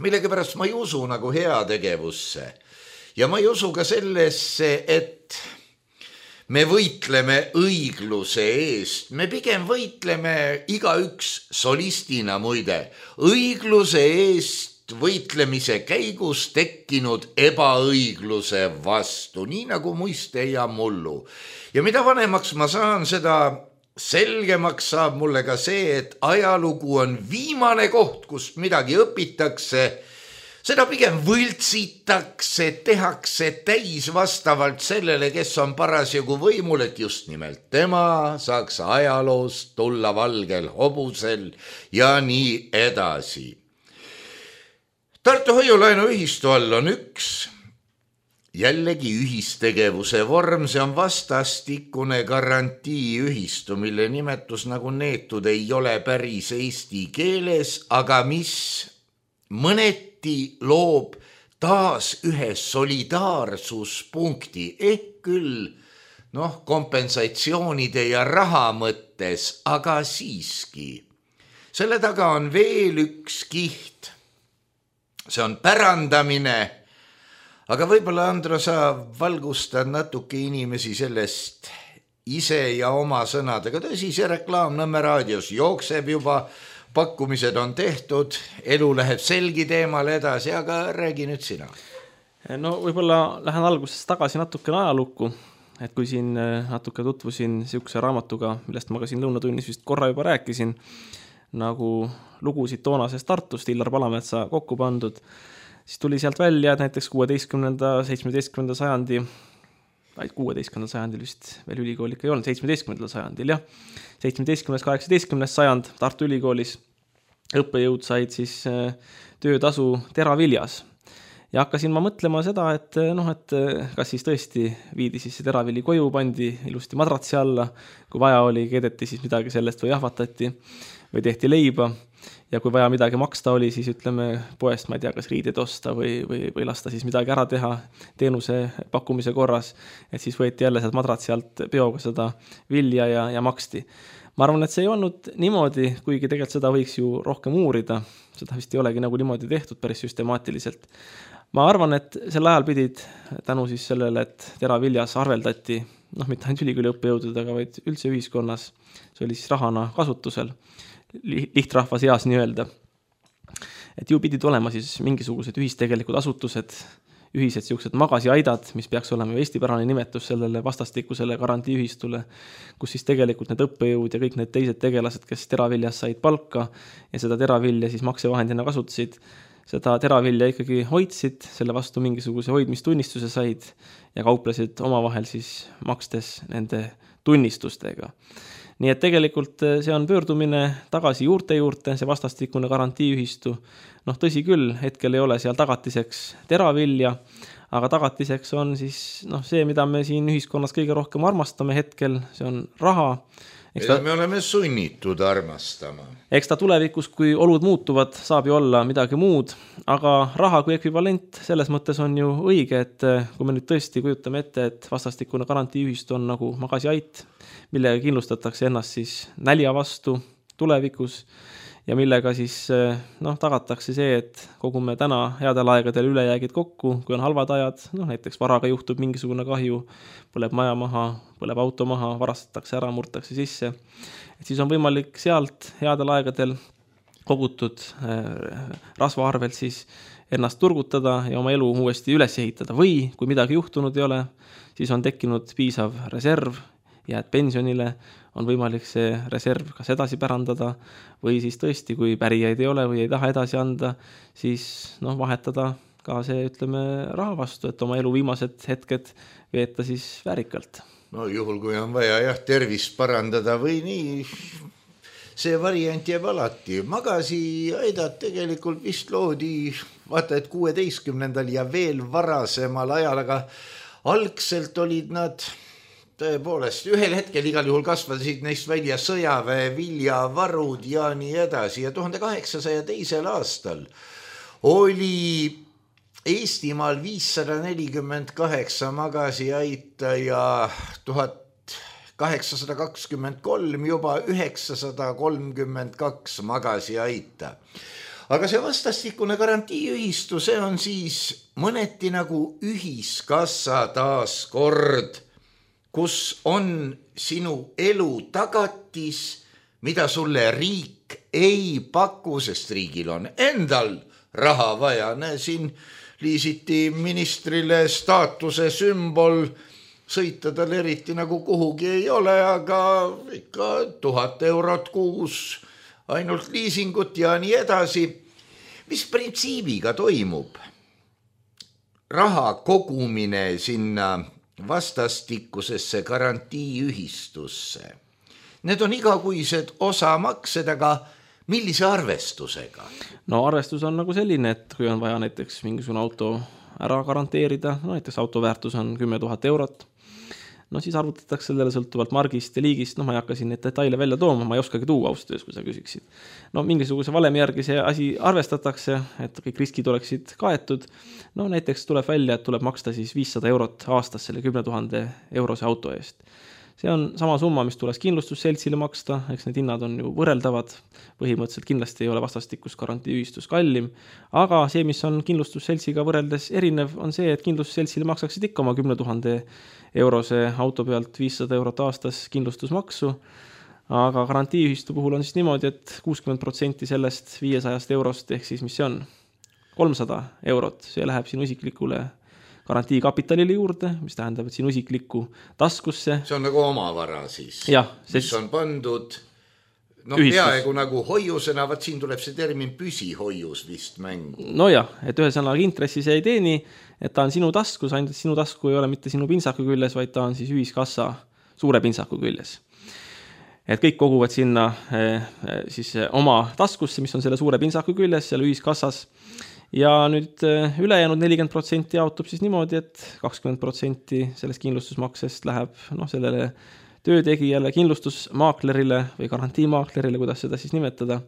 Millegipärast ma ei usu nagu heategevusse. Ja ma ei usu ka sellesse, et me võitleme õigluse eest, me pigem võitleme igaüks solistina muide, õigluse eest võitlemise käigus tekkinud ebaõigluse vastu, nii nagu muiste ja mullu. Ja mida vanemaks ma saan, seda selgemaks saab mulle ka see, et ajalugu on viimane koht, kust midagi õpitakse. Seda pigem võltsitakse, tehakse täis vastavalt sellele, kes on parasjagu võimul, et just nimelt tema saaks ajaloost tulla valgel hobusel ja nii edasi. Tartu hoiulaenuühistu all on üks jällegi ühistegevuse vorm, see on vastastikune garantiiühistu, mille nimetus nagu neetud ei ole päris eesti keeles, aga mis mõneti loob taas ühe solidaarsuspunkti, ehk küll kompensatsioonide ja raha mõttes, aga siiski. Selle taga on veel üks kiht. See on pärandamine, aga võib-olla Andro sa valgustad natuke inimesi sellest ise ja oma sõnadega. Tõsi, see reklaam Nõmme raadios jookseb juba, pakkumised on tehtud, elu läheb selgi teemal edasi, aga räägi nüüd sina. No võib-olla lähen algusest tagasi natukene ajalukku, et kui siin natuke tutvusin siukse raamatuga, millest ma ka siin lõunatunnis vist korra juba rääkisin, nagu lugusid toonasest Tartust Illar Palametsa kokku pandud, siis tuli sealt välja, et näiteks 16. 17. sajandi, vaid 16. sajandil vist veel ülikool ikka ei olnud, 17. sajandil, jah. 17. 18. sajand Tartu Ülikoolis õppejõud said siis töötasu teraviljas. Ja hakkasin ma mõtlema seda, et kas siis tõesti viidi siis see teravili koju, pandi ilusti madratsi alla, kui vaja oli, keedeti siis midagi sellest või jahvatati või tehti leiba. Ja kui vaja midagi maksta oli, siis ütleme poest, ma ei tea, kas riided osta või lasta siis midagi ära teha teenuse pakkumise korras, et siis võeti jälle sealt madratsi alt peoga seda vilja ja maksti. Ma arvan, et see ei olnud niimoodi, kuigi tegelikult seda võiks ju rohkem uurida, seda vist ei olegi nagu niimoodi tehtud päris süstemaatiliselt. Ma arvan, et sel ajal pidid tänu siis sellele, et teraviljas arveldati, mitte ainult ülikooli õppejõududega, vaid üldse ühiskonnas, see oli siis rahana kasutusel, lihtrahva seas nii öelda. Et ju pidid olema siis mingisugused ühistegelikud asutused, ühised siuksed magasiaidad, mis peaks olema ju eestipärane nimetus sellele vastastikusele garantiiühistule, kus siis tegelikult need õppejõud ja kõik need teised tegelased, kes teraviljas said palka ja seda teravilja siis maksevahendina kasutasid, seda teravilja ikkagi hoidsid, selle vastu mingisuguse hoidmistunnistuse said ja kauplesid omavahel siis makstes nende tunnistustega. Nii et tegelikult see on pöördumine tagasi juurte juurde, see vastastikune garantiiühistu. Tõsi küll, hetkel ei ole seal tagatiseks teravilja, aga tagatiseks on siis see, mida me siin ühiskonnas kõige rohkem armastame hetkel, see on raha. Me oleme sunnitud armastama. Eks ta tulevikus, kui olud muutuvad, saab ju olla midagi muud, aga raha kui ekvivalent selles mõttes on ju õige, et kui me nüüd tõesti kujutame ette, et vastastikune garantiiühistu on nagu magasiait, millega kindlustatakse ennast siis nälja vastu tulevikus ja millega siis tagatakse see, et kogume täna headel aegadel ülejäägid kokku, kui on halvad ajad, näiteks varaga juhtub mingisugune kahju, põleb maja maha, põleb auto maha, varastatakse ära, murtakse sisse. Et siis on võimalik sealt headel aegadel kogutud rasva arvelt siis ennast turgutada ja oma elu uuesti üles ehitada või kui midagi juhtunud ei ole, siis on tekkinud piisav reserv, jääd pensionile, on võimalik see reserv kas edasi pärandada või siis tõesti, kui pärijaid ei ole või ei taha edasi anda, siis vahetada ka see, ütleme, raha vastu, et oma elu viimased hetked veeta siis väärikalt. Juhul, kui on vaja tervist parandada või nii, see variant jääb alati. Magasiaidad tegelikult vist loodi, vaata, et 16. ja veel varasemal ajal, aga algselt olid nad tõepoolest, ühel hetkel igal juhul kasvasid neist välja sõjaväe, viljavarud ja nii edasi. Ja 1802. aastal oli Eestimaal 548 magasiaita ja 1823 juba 932 magasiaita. Aga see vastastikune garantiiühistu, see on siis mõneti nagu ühiskassa taaskord, kus on sinu elu tagatis, mida sulle riik ei paku, sest riigil on endal raha vaja. Siin liisiti ministrile staatuse sümbol, sõita tal eriti nagu kuhugi ei ole, aga ikka 1000 eurot kuus, ainult liisingut ja nii edasi. Mis printsiibiga toimub? Raha kogumine sinna vastastikusesse garantiiühistusse. Need on igakuised osamaksed, aga millise arvestusega? Arvestus on nagu selline, et kui on vaja näiteks mingisugune auto ära garanteerida, näiteks auto väärtus on 10 000 eurot, siis arvutatakse sellele sõltuvalt margist ja liigist, ma ei hakka siin neid detaile välja tooma, ma ei oskagi tuua austöös, kui sa küsiksid. Mingisuguse valemi järgi see asi arvestatakse, et kõik riskid oleksid kaetud. Näiteks tuleb välja, et tuleb maksta siis 500 eurot aastas selle 10 000 eurose auto eest. See on sama summa, mis tuleks kindlustusseltsile maksta, eks need hinnad on ju võrreldavad, põhimõtteliselt kindlasti ei ole vastastikus garantiiühistus kallim, aga see, mis on kindlustusseltsiga võrreldes erinev, on see, et kindlustusseltsile maksaksid ikka oma 10 000 eurose auto pealt 500 eurot aastas kindlustusmaksu, aga garantiiühistu puhul on siis niimoodi, et 60% sellest 500 eurost, ehk siis mis see on? 300 eurot, see läheb sinu isiklikule garantiikapitalile juurde, mis tähendab, et sinu isiklikku taskusse. See on nagu omavara siis, mis on pandud peaaegu nagu hoiusena, siin tuleb see termin püsihoius vist mängu. Et ühesõnaga intressi see ei teeni, et ta on sinu taskus, ainult sinu tasku ei ole mitte sinu pintsaku küljes, vaid ta on siis ühiskassa suure pintsaku küljes. Et kõik koguvad sinna siis oma taskusse, mis on selle suure pintsaku küljes, selle ühiskassas. Ja nüüd ülejäänud 40% jaotub siis niimoodi, et 20% sellest kindlustusmaksest läheb sellele töötegijale, kindlustusmaaklerile või garantiimaaklerile, kuidas seda siis nimetada,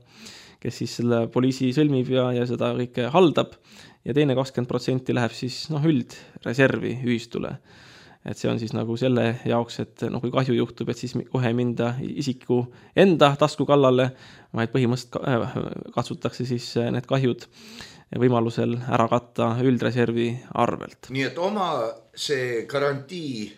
kes siis selle poliisi sõlmib ja seda kõike haldab. Ja teine 20% läheb siis üldreservi ühistule. Et see on siis nagu selle jaoks, et kui kahju juhtub, et siis kohe minda isiku enda tasku kallale, vaid põhimõtteliselt katsutakse siis need kahjud võimalusel ära katta üldreservi arvelt. Nii et oma see garantii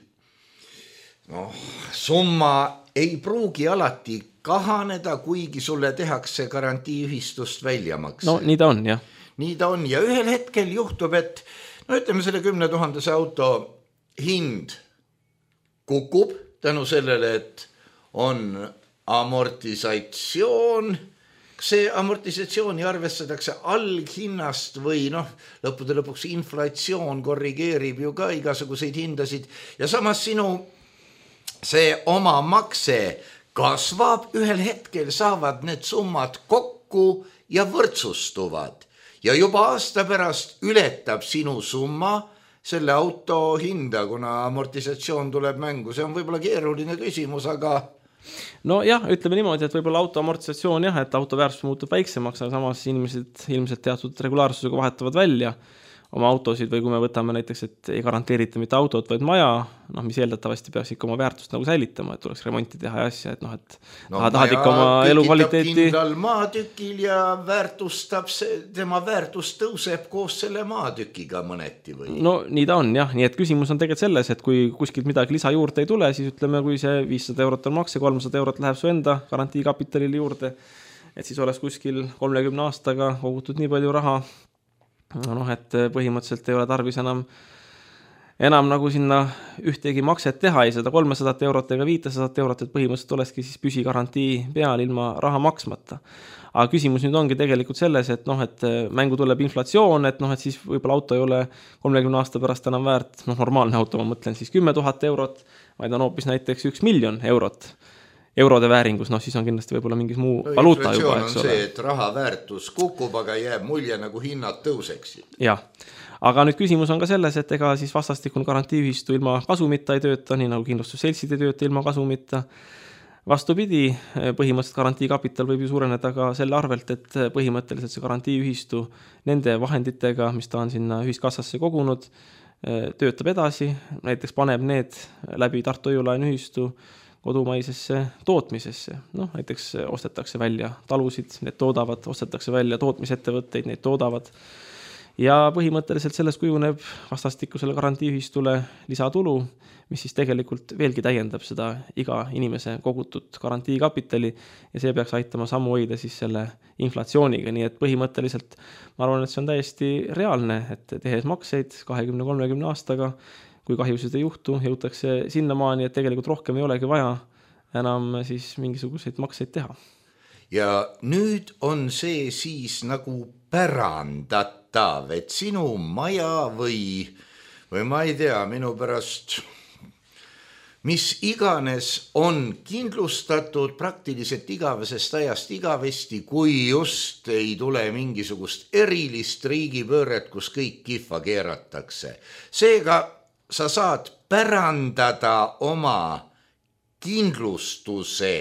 summa ei pruugi alati kahaneda, kuigi sulle tehakse garantiiühistust väljamakse. Nii ta on, jah. Nii ta on ja ühel hetkel juhtub, et No ütleme, selle 10 000 auto hind kukub tänu sellele, et on amortisatsioon. See amortisatsiooni arvestatakse alghinnast või lõppude lõpuks inflatsioon korrigeerib ju ka igasuguseid hindasid ja samas sinu see oma makse kasvab, ühel hetkel saavad need summad kokku ja võrdsustuvad ja juba aasta pärast ületab sinu summa selle auto hinda, kuna amortisatsioon tuleb mängu. See on võib-olla keeruline küsimus, aga no jah, ütleme niimoodi, et võib-olla auto amortisatsioon jah, et auto väärtus muutub väiksemaks, aga samas inimesed ilmselt teatud regulaarsusega vahetavad välja oma autosid või kui me võtame näiteks, et ei garanteerita mitte autot, vaid maja, mis eeldatavasti peaks ikka oma väärtust nagu säilitama, et tuleks remonti teha ja asja, et tahad ikka oma elukvaliteeti. Kindlal maatükil ja tema väärtus tõuseb koos selle maatükiga mõneti või? No nii ta on jah, nii et küsimus on tegelikult selles, et kui kuskilt midagi lisa juurde ei tule, siis ütleme, kui see 500 eurot on makse, 300 eurot läheb su enda garantiikapitalile juurde, et siis oleks kuskil 30 aastaga kogutud nii palju raha, et põhimõtteliselt ei ole tarvis enam nagu sinna ühtegi makset teha, ei seda 300 eurot ega 500 eurot, et põhimõtteliselt olekski siis püsigarantii peal ilma raha maksmata. Aga küsimus nüüd ongi tegelikult selles, et mängu tuleb inflatsioon, et siis võib-olla auto ei ole 30 aasta pärast enam väärt, normaalne auto, ma mõtlen siis 10 000 eurot, vaid on hoopis näiteks 1 miljon eurot. Eurode vääringus, siis on kindlasti võib-olla mingis muu valuuta juba, eks ole. On see, et raha väärtus kukub, aga jääb mulje nagu hinnad tõuseksid. Jah, aga nüüd küsimus on ka selles, et ega siis vastastikun garantiiühistu ilma kasumita ei tööta, nii nagu kindlustusseltsid ei tööta ilma kasumita. Vastupidi, põhimõtteliselt garantiikapital võib ju suureneda ka selle arvelt, et põhimõtteliselt see garantiiühistu nende vahenditega, mis ta on sinna ühiskassasse kogunud, töötab edasi, näiteks paneb need läbi Tartu Hoiu-laenuühistu kodumaisesse tootmisesse. Näiteks ostetakse välja talusid, need toodavad, ostetakse välja tootmisettevõtteid, need toodavad. Ja põhimõtteliselt sellest kujuneb vastastikusele garantiiühistule lisatulu, mis siis tegelikult veelgi täiendab seda iga inimese kogutud garantiikapitali ja see peaks aitama sammu hoida siis selle inflatsiooniga. Nii et põhimõtteliselt ma arvan, et see on täiesti reaalne, et tehes makseid 20-30 aastaga, kui kahjusid ei juhtu, jõutakse sinnamaani, et tegelikult rohkem ei olegi vaja enam siis mingisuguseid makseid teha. Ja nüüd on see siis nagu pärandatav, et sinu maja või ma ei tea, minu pärast mis iganes on kindlustatud praktiliselt igavesest ajast igavesti, kui just ei tule mingisugust erilist riigipööret, kus kõik kihva keeratakse. Seega sa saad pärandada oma kindlustuse,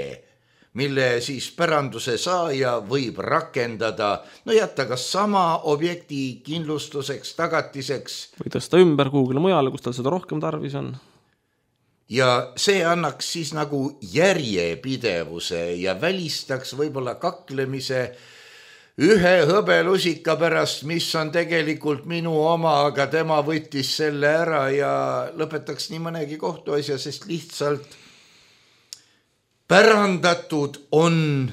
mille siis päranduse saaja võib rakendada, jätta kas sama objekti kindlustuseks, tagatiseks. Või tõsta ümber kuhugile mujale, kus tal seda rohkem tarvis on. Ja see annaks siis nagu järjepidevuse ja välistaks võib-olla kaklemise ühe hõbelusika pärast, mis on tegelikult minu oma, aga tema võttis selle ära ja lõpetaks nii mõnegi kohtuasja, sest lihtsalt pärandatud on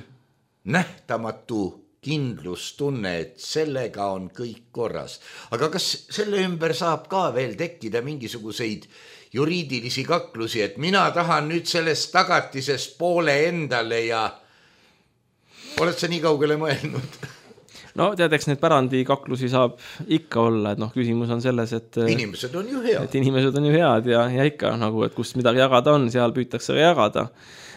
nähtamatu kindlustunne, et sellega on kõik korras. Aga kas selle ümber saab ka veel tekkida mingisuguseid juriidilisi kaklusi, et mina tahan nüüd sellest tagatisest poole endale ja oled sa nii kaugele mõelnud? No teadeks, need pärandikaklusi saab ikka olla, et küsimus on selles, et inimesed on ju head. Et inimesed on ju head ja ikka nagu, et kus midagi jagada on, seal püütakse jagada.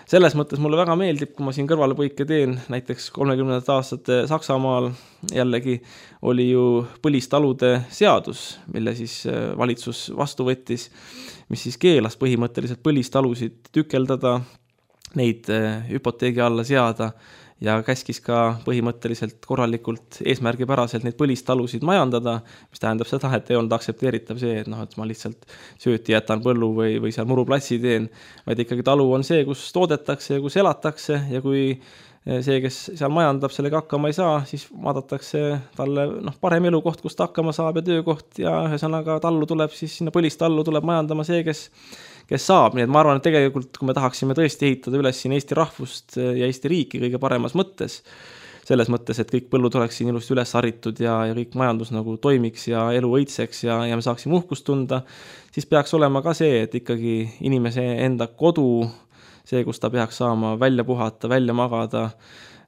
Selles mõttes mulle väga meeldib, kui ma siin kõrvalepõike teen, näiteks 30. aastate Saksamaal jällegi oli ju põlistalude seadus, mille siis valitsus vastu võttis, mis siis keelas põhimõtteliselt põlistalusid tükeldada, neid hüpoteegi alla seada ja käskis ka põhimõtteliselt korralikult eesmärgipäraselt neid põlistalusid majandada, mis tähendab seda, et ei olnud aktsepteeritav see, et ma lihtsalt sööti jätan põllu või seal muruplatsi teen, vaid ikkagi talu on see, kus toodetakse ja kus elatakse ja kui see, kes seal majandab, sellega hakkama ei saa, siis vaadatakse talle parem elukoht, kus ta hakkama saab ja töökoht ja ühesõnaga tallu tuleb siis sinna põlistallu tuleb majandama see, kes saab, nii et ma arvan, et tegelikult kui me tahaksime tõesti ehitada üles siin Eesti rahvust ja Eesti riiki kõige paremas mõttes, selles mõttes, et kõik põllud oleks siin ilusti üles haritud ja kõik majandus nagu toimiks ja elu õitseks ja me saaksime uhkust tunda, siis peaks olema ka see, et ikkagi inimese enda kodu, see, kus ta peaks saama välja puhata, välja magada,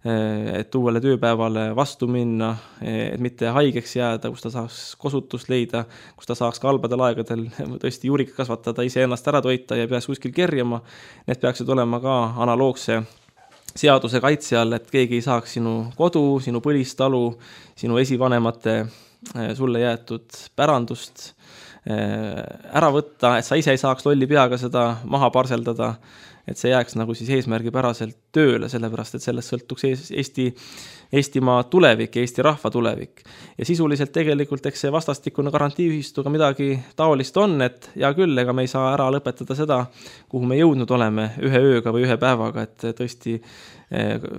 et uuele tööpäevale vastu minna, et mitte haigeks jääda, kus ta saaks kosutust leida, kus ta saaks ka halbadel aegadel tõesti juurik kasvatada, ise ennast ära toita ja peaks kuskil kerjama. Need peaksid olema ka analoogse seaduse kaitse all, et keegi ei saaks sinu kodu, sinu põlistalu, sinu esivanemate sulle jäetud pärandust ära võtta, et sa ise ei saaks lolli peaga seda maha parseldada, et see jääks nagu siis eesmärgipäraselt tööle, sellepärast et sellest sõltuks Eestimaa tulevik, Eesti rahva tulevik. Ja sisuliselt tegelikult eks see vastastikune garantiiühistuga midagi taolist on, et hea küll, ega me ei saa ära lõpetada seda, kuhu me jõudnud oleme ühe ööga või ühe päevaga, et tõesti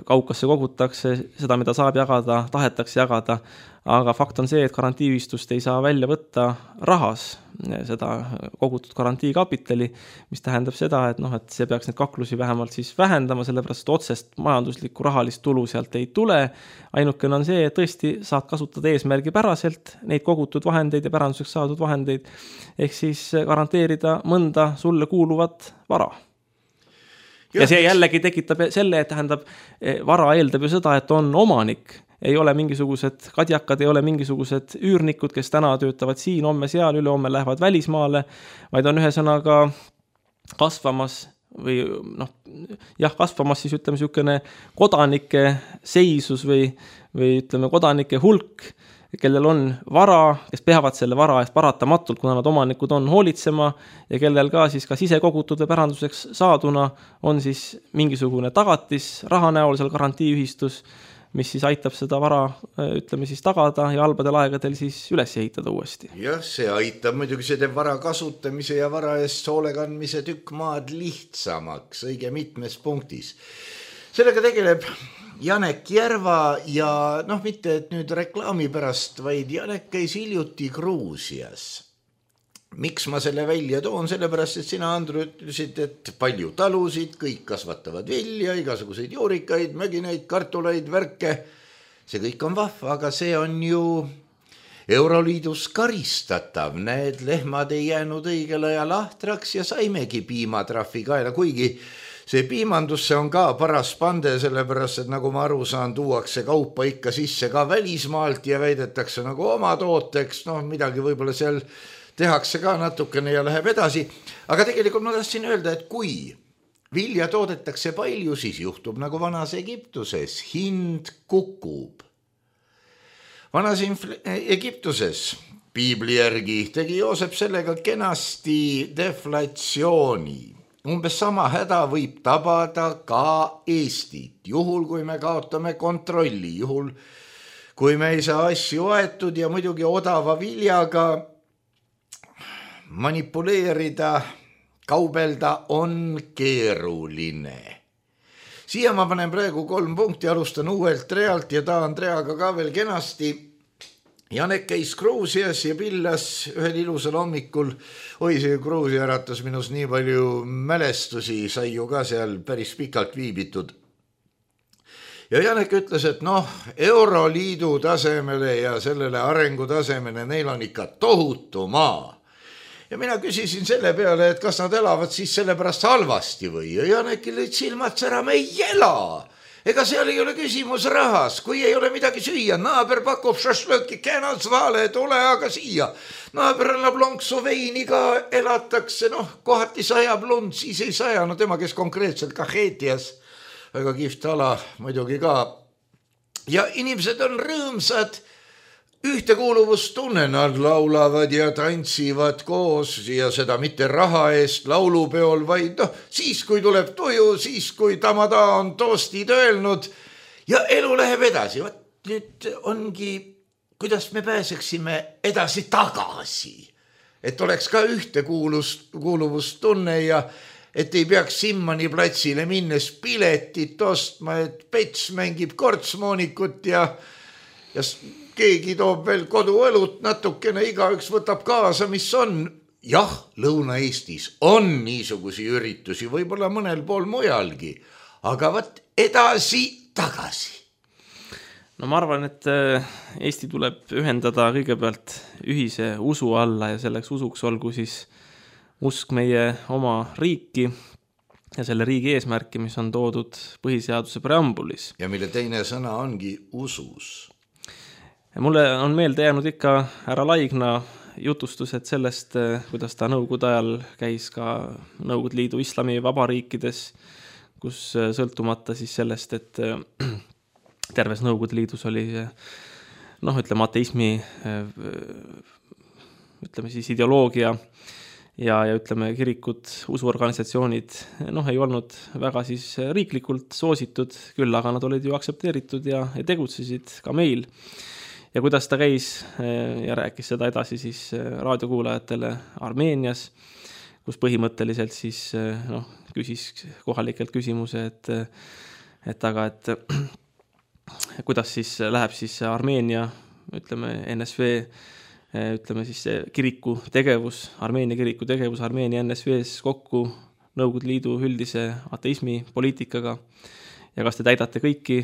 kaukasse kogutakse seda, mida saab jagada, tahetakse jagada, aga fakt on see, et garantiiühistust ei saa välja võtta rahas seda kogutud garantiikapitali, mis tähendab seda, et et see peaks neid kaklusi vähemalt siis vähendama, sellepärast otsest majanduslikku rahalist tulu sealt ei tule. Ainukene on see, et tõesti saad kasutada eesmärgipäraselt neid kogutud vahendeid ja päranduseks saadud vahendeid, ehk siis garanteerida mõnda sulle kuuluvat vara. Ja see jällegi tekitab selle, et tähendab, vara eeldab ju seda, et on omanik. Ei ole mingisugused kadjakad, ei ole mingisugused üürnikud, kes täna töötavad siin, homme seal, ülehomme lähevad välismaale, vaid on ühesõnaga kasvamas või kasvamas siis ütleme niisugune kodanike seisus või ütleme kodanike hulk, kellel on vara, kes peavad selle vara eest paratamatult, kuna nad omanikud on hoolitsema ja kellel ka siis kas ise kogutud või päranduseks saaduna on siis mingisugune tagatis raha näol seal garantiiühistus, mis siis aitab seda vara, ütleme siis tagada ja halbadel aegadel siis üles ehitada uuesti. Jah, see aitab muidugi, see teeb vara kasutamise ja vara eest hoolekandmise tükk maad lihtsamaks õige mitmes punktis. Sellega tegeleb Janek Järva ja mitte et nüüd reklaami pärast, vaid Janek käis hiljuti Gruusias. Miks ma selle välja toon? Sellepärast, et sina, Andru, ütlesid, et palju talusid, kõik kasvatavad vilja, igasuguseid juurikaid, mögineid, kartuleid, värke. See kõik on vahva, aga see on ju Euroliidus karistatav. Need lehmad ei jäänud õigel ajal ahtraks ja saimegi piimatrahvi kaela, kuigi see piimandusse on ka paras pande, sellepärast, et nagu ma aru saan, tuuakse kaupa ikka sisse ka välismaalt ja väidetakse nagu oma tooteks, midagi võib-olla seal tehakse ka natukene ja läheb edasi. Aga tegelikult ma tahtsin öelda, et kui vilja toodetakse palju, siis juhtub nagu vanas Egiptuses. Hind kukub. Vanas Egiptuses piibli järgi tegi Joosep sellega kenasti deflatsiooni. Umbes sama häda võib tabada ka Eestit. Juhul, kui me kaotame kontrolli, juhul, kui me ei saa asju aetud ja muidugi odava viljaga manipuleerida, kaubelda on keeruline. Siia ma panen praegu 3 punkti, alustan uuelt realt ja tahan reaga ka veel kenasti. Janek käis Gruusias ja pillas ühel ilusal hommikul. See Gruusia äratas minus nii palju mälestusi, sai ju ka seal päris pikalt viibitud. Ja Janek ütles, et Euroliidu tasemele ja sellele arengu tasemele neil on ikka tohutu maa. Ja mina küsisin selle peale, et kas nad elavad siis sellepärast halvasti või. Ja Janekil lõid silmad sära, me ei ela. Ega seal ei ole küsimus rahas, kui ei ole midagi süüa. Naaber pakub šašlõki, känas vale, tule aga siia. Naaber annab lonksu veini ka, elatakse, kohati sajab lund, siis ei saja. Tema, kes konkreetselt Kaheetias, väga kihvt ala muidugi ka. Ja inimesed on rõõmsad, ühtekuuluvustunne, nad laulavad ja tantsivad koos ja seda mitte raha eest laulupeol, vaid siis, kui tuleb tuju, siis, kui tamada on toostid öelnud ja elu läheb edasi. Nüüd ongi, kuidas me pääseksime edasi tagasi, et oleks ka ühtekuuluvustunne ja et ei peaks Simmani platsile minnes piletit ostma, et Pets mängib kortsmoonikut ja keegi toob veel koduõlut natukene, igaüks võtab kaasa, mis on. Jah, Lõuna-Eestis on niisugusi üritusi, võib-olla mõnel pool mujalgi, aga edasi tagasi. No ma arvan, et Eesti tuleb ühendada kõigepealt ühise usu alla ja selleks usuks olgu siis usk meie oma riiki ja selle riigi eesmärki, mis on toodud põhiseaduse preambulis. Ja mille teine sõna ongi usus. Ja mulle on meelde jäänud ikka härra Laigna jutustused sellest, kuidas ta Nõukogude ajal käis ka Nõukogude Liidu islami vabariikides, kus sõltumata siis sellest, et terves Nõukogude Liidus oli ütleme ateismi ütleme siis ideoloogia ja ütleme kirikud, usuorganisatsioonid ei olnud väga siis riiklikult soositud, küll aga nad olid ju aktsepteeritud ja tegutsesid ka meil. Ja kuidas ta käis ja rääkis seda edasi siis raadiokuulajatele Armeenias, kus põhimõtteliselt siis küsis kohalikelt küsimuse, et kuidas siis läheb siis Armeenia, ütleme NSV, ütleme siis kiriku tegevus, Armeenia kiriku tegevus Armeenia NSV-s kokku Nõukogude Liidu üldise ateismi poliitikaga ja kas te täidate kõiki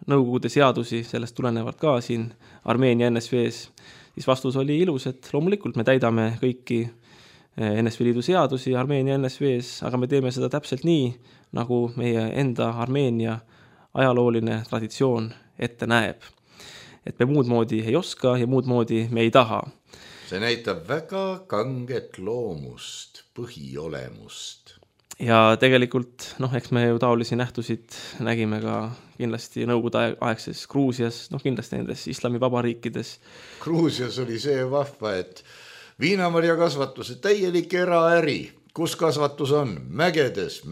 Nõukogude seadusi, sellest tulenevalt ka siin Armeenia NSV-s, siis vastus oli ilus, et loomulikult me täidame kõiki NSV Liidu seadusi Armeenia NSV-s, aga me teeme seda täpselt nii, nagu meie enda Armeenia ajalooline traditsioon ette näeb. Et me muud moodi ei oska ja muud moodi me ei taha. See näitab väga kanget loomust, põhiolemust. Ja tegelikult, eks me ju taolisi nähtusid nägime ka kindlasti Nõukogude aegses Gruusias, kindlasti nendes islami vabariikides. Gruusias oli see vahva, et viinamarja kasvatuse täielik eraäri. Kus kasvatus on? Mägedes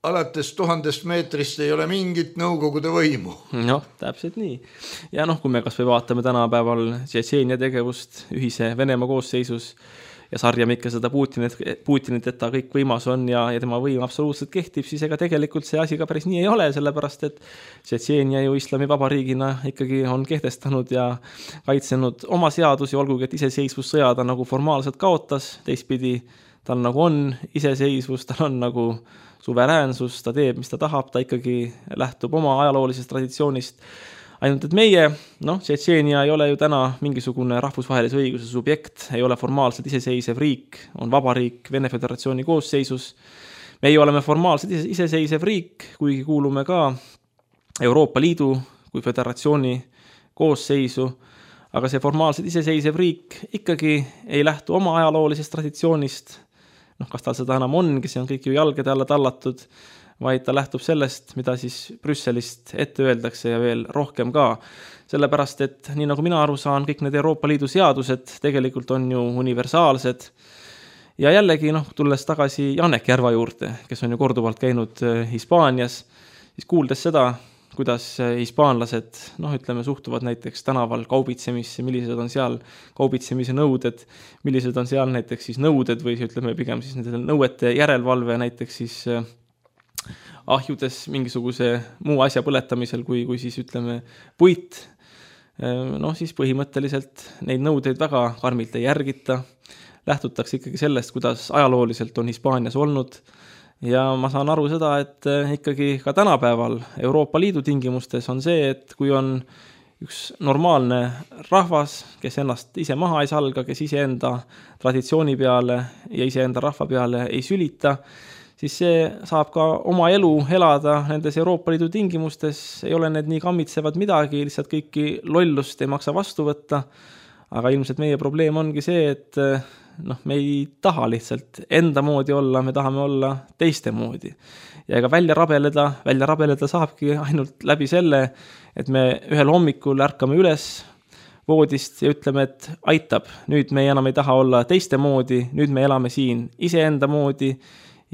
alates 1000 meetrist ei ole mingit Nõukogude võimu. Täpselt nii. Ja kui me kas või vaatame tänapäeval Tšetšeenia tegevust ühise Venemaa koosseisus ja sarjame ikka seda Putinit, et ta kõik võimas on ja tema võim absoluutselt kehtib, siis ega tegelikult see asi ka päris nii ei ole, sellepärast et Tšetšeenia ju islami vabariigina ikkagi on kehtestanud ja kaitsenud oma seadusi, olgugi et iseseisvussõja ta nagu formaalselt kaotas, teistpidi tal nagu on iseseisvus, tal on nagu suveräänsus, ta teeb, mis ta tahab, ta ikkagi lähtub oma ajaloolisest traditsioonist. Ainult, et meie, Tšetšeenia ei ole ju täna mingisugune rahvusvahelise õiguse subjekt, ei ole formaalselt iseseisev riik, on vabariik Vene Föderatsiooni koosseisus. Meie oleme formaalselt iseseisev riik, kuigi kuulume ka Euroopa Liidu kui föderatsiooni koosseisu, aga see formaalselt iseseisev riik ikkagi ei lähtu oma ajaloolisest traditsioonist, kas tal seda enam ongi, see on kõik ju jalgede alla tallatud, vaid ta lähtub sellest, mida siis Brüsselist ette öeldakse ja veel rohkem ka. Sellepärast, et nii nagu mina aru saan, kõik need Euroopa Liidu seadused tegelikult on ju universaalsed. Ja jällegi, tulles tagasi Janek Järva juurde, kes on ju korduvalt käinud Hispaanias, siis kuuldes seda, kuidas hispaanlased, ütleme, suhtuvad näiteks tänaval kaubitsemisse, millised on seal kaubitsemise nõuded, millised on seal näiteks siis nõuded või ütleme pigem siis nende nõuete järelevalve näiteks siis ahjudes mingisuguse muu asja põletamisel, kui siis ütleme puit, siis põhimõtteliselt neid nõudeid väga karmilt ei järgita, lähtutakse ikkagi sellest, kuidas ajalooliselt on Hispaanias olnud ja ma saan aru seda, et ikkagi ka tänapäeval Euroopa Liidu tingimustes on see, et kui on üks normaalne rahvas, kes ennast ise maha ei salga, kes iseenda traditsiooni peale ja iseenda rahva peale ei sülita, siis see saab ka oma elu elada nendes Euroopa Liidu tingimustes, ei ole need nii kammitsevad midagi, lihtsalt kõiki lollust ei maksa vastu võtta, aga ilmselt meie probleem ongi see, et me ei taha lihtsalt enda moodi olla, me tahame olla teiste moodi. Ja ega välja rabeleda saabki ainult läbi selle, et me ühel hommikul ärkame üles voodist ja ütleme, et aitab, nüüd me enam ei taha olla teiste moodi, nüüd me elame siin iseenda moodi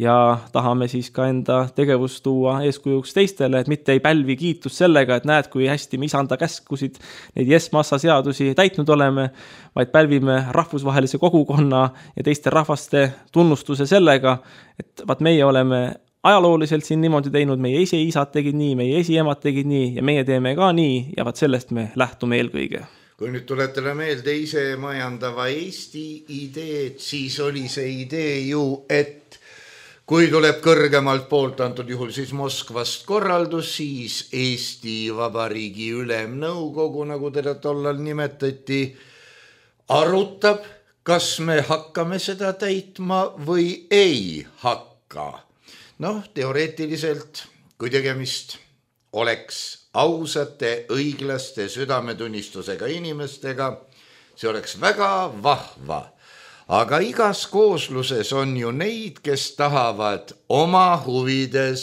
ja tahame siis ka enda tegevust tuua eeskujuks teistele, et mitte ei pälvi kiitust sellega, et näed, kui hästi me isanda käskusid, neid Yes-Massa seadusi täitnud oleme, vaid pälvime rahvusvahelise kogukonna ja teiste rahvaste tunnustuse sellega, et meie oleme ajalooliselt siin niimoodi teinud, meie esiisad tegid nii, meie esiemad tegid nii ja meie teeme ka nii ja sellest me lähtume eelkõige. Kui nüüd tuletele meelde ise majandava Eesti ideed, siis oli see idee ju, et kui tuleb kõrgemalt poolt, antud juhul siis Moskvast korraldus, siis Eesti Vabariigi Ülemnõukogu, nagu teda tollal nimetati, arutab, kas me hakkame seda täitma või ei hakka. Noh, teoreetiliselt, kui tegemist oleks ausate, õiglaste, südametunnistusega inimestega, see oleks väga vahva. Aga igas koosluses on ju neid, kes tahavad oma huvides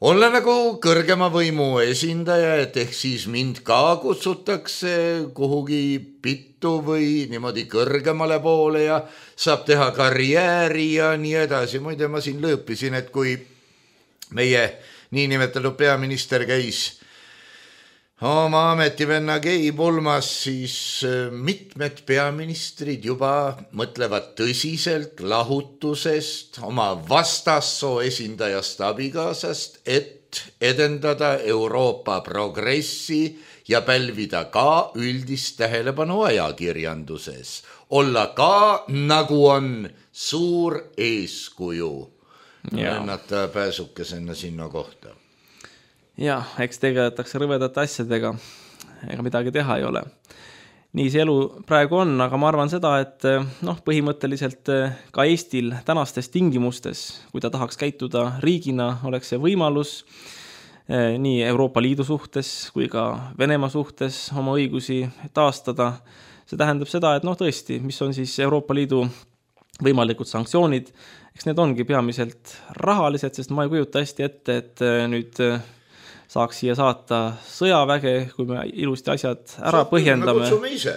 olla nagu kõrgema võimu esindaja, et ehk siis mind ka kutsutakse kuhugi pittu või niimoodi kõrgemale poole ja saab teha karjääri ja nii edasi. Muide, ma siin lõõpisin, et kui meie niinimetatud peaminister käis oma ametivenna Gei pulmas, siis mitmed peaministrid juba mõtlevad tõsiselt lahutusest oma vastassoo esindajast abikaasast, et edendada Euroopa progressi ja pälvida ka üldist tähelepanu ajakirjanduses. Olla ka, nagu on, suur eeskuju. Lennata pääsukesena sinna kohta. Jah, eks tegeletakse rõvedate asjadega, ega midagi teha ei ole. Nii see elu praegu on, aga ma arvan seda, et põhimõtteliselt ka Eestil tänastes tingimustes, kui ta tahaks käituda riigina, oleks see võimalus nii Euroopa Liidu suhtes kui ka Venemaa suhtes oma õigusi taastada. See tähendab seda, et tõesti, mis on siis Euroopa Liidu võimalikud sanktsioonid, eks need ongi peamiselt rahalised, sest ma ei kujuta hästi ette, et nüüd saaks siia saata sõjaväge, kui me ilusti asjad ära põhjendame. Me kutsume ise.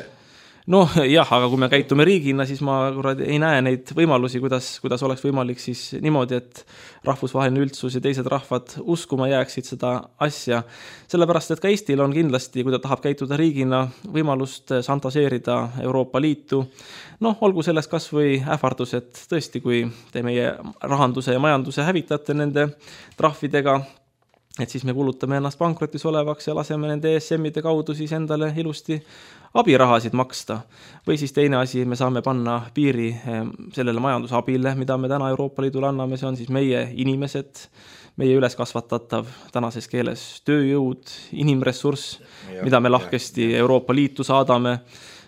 Jah, aga kui me käitume riigina, siis ma ei näe neid võimalusi, kuidas oleks võimalik siis niimoodi, et rahvusvaheline üldsus ja teised rahvad uskuma jääksid seda asja. Sellepärast, et ka Eestil on kindlasti, kui ta tahab käituda riigina, võimalust šantaseerida Euroopa Liitu. Olgu sellest kas või ähvardus, et tõesti, kui te meie rahanduse ja majanduse hävitate nende trahvidega, et siis me kulutame ennast pankrotis olevaks ja laseme nende ESM-ide kaudu siis endale ilusti abirahasid maksta. Või siis teine asi, me saame panna piiri sellele majandusabile, mida me täna Euroopa Liidule anname, see on siis meie inimesed, meie üleskasvatatav tänases keeles tööjõud, inimressurss, mida me lahkesti Euroopa Liitu saadame.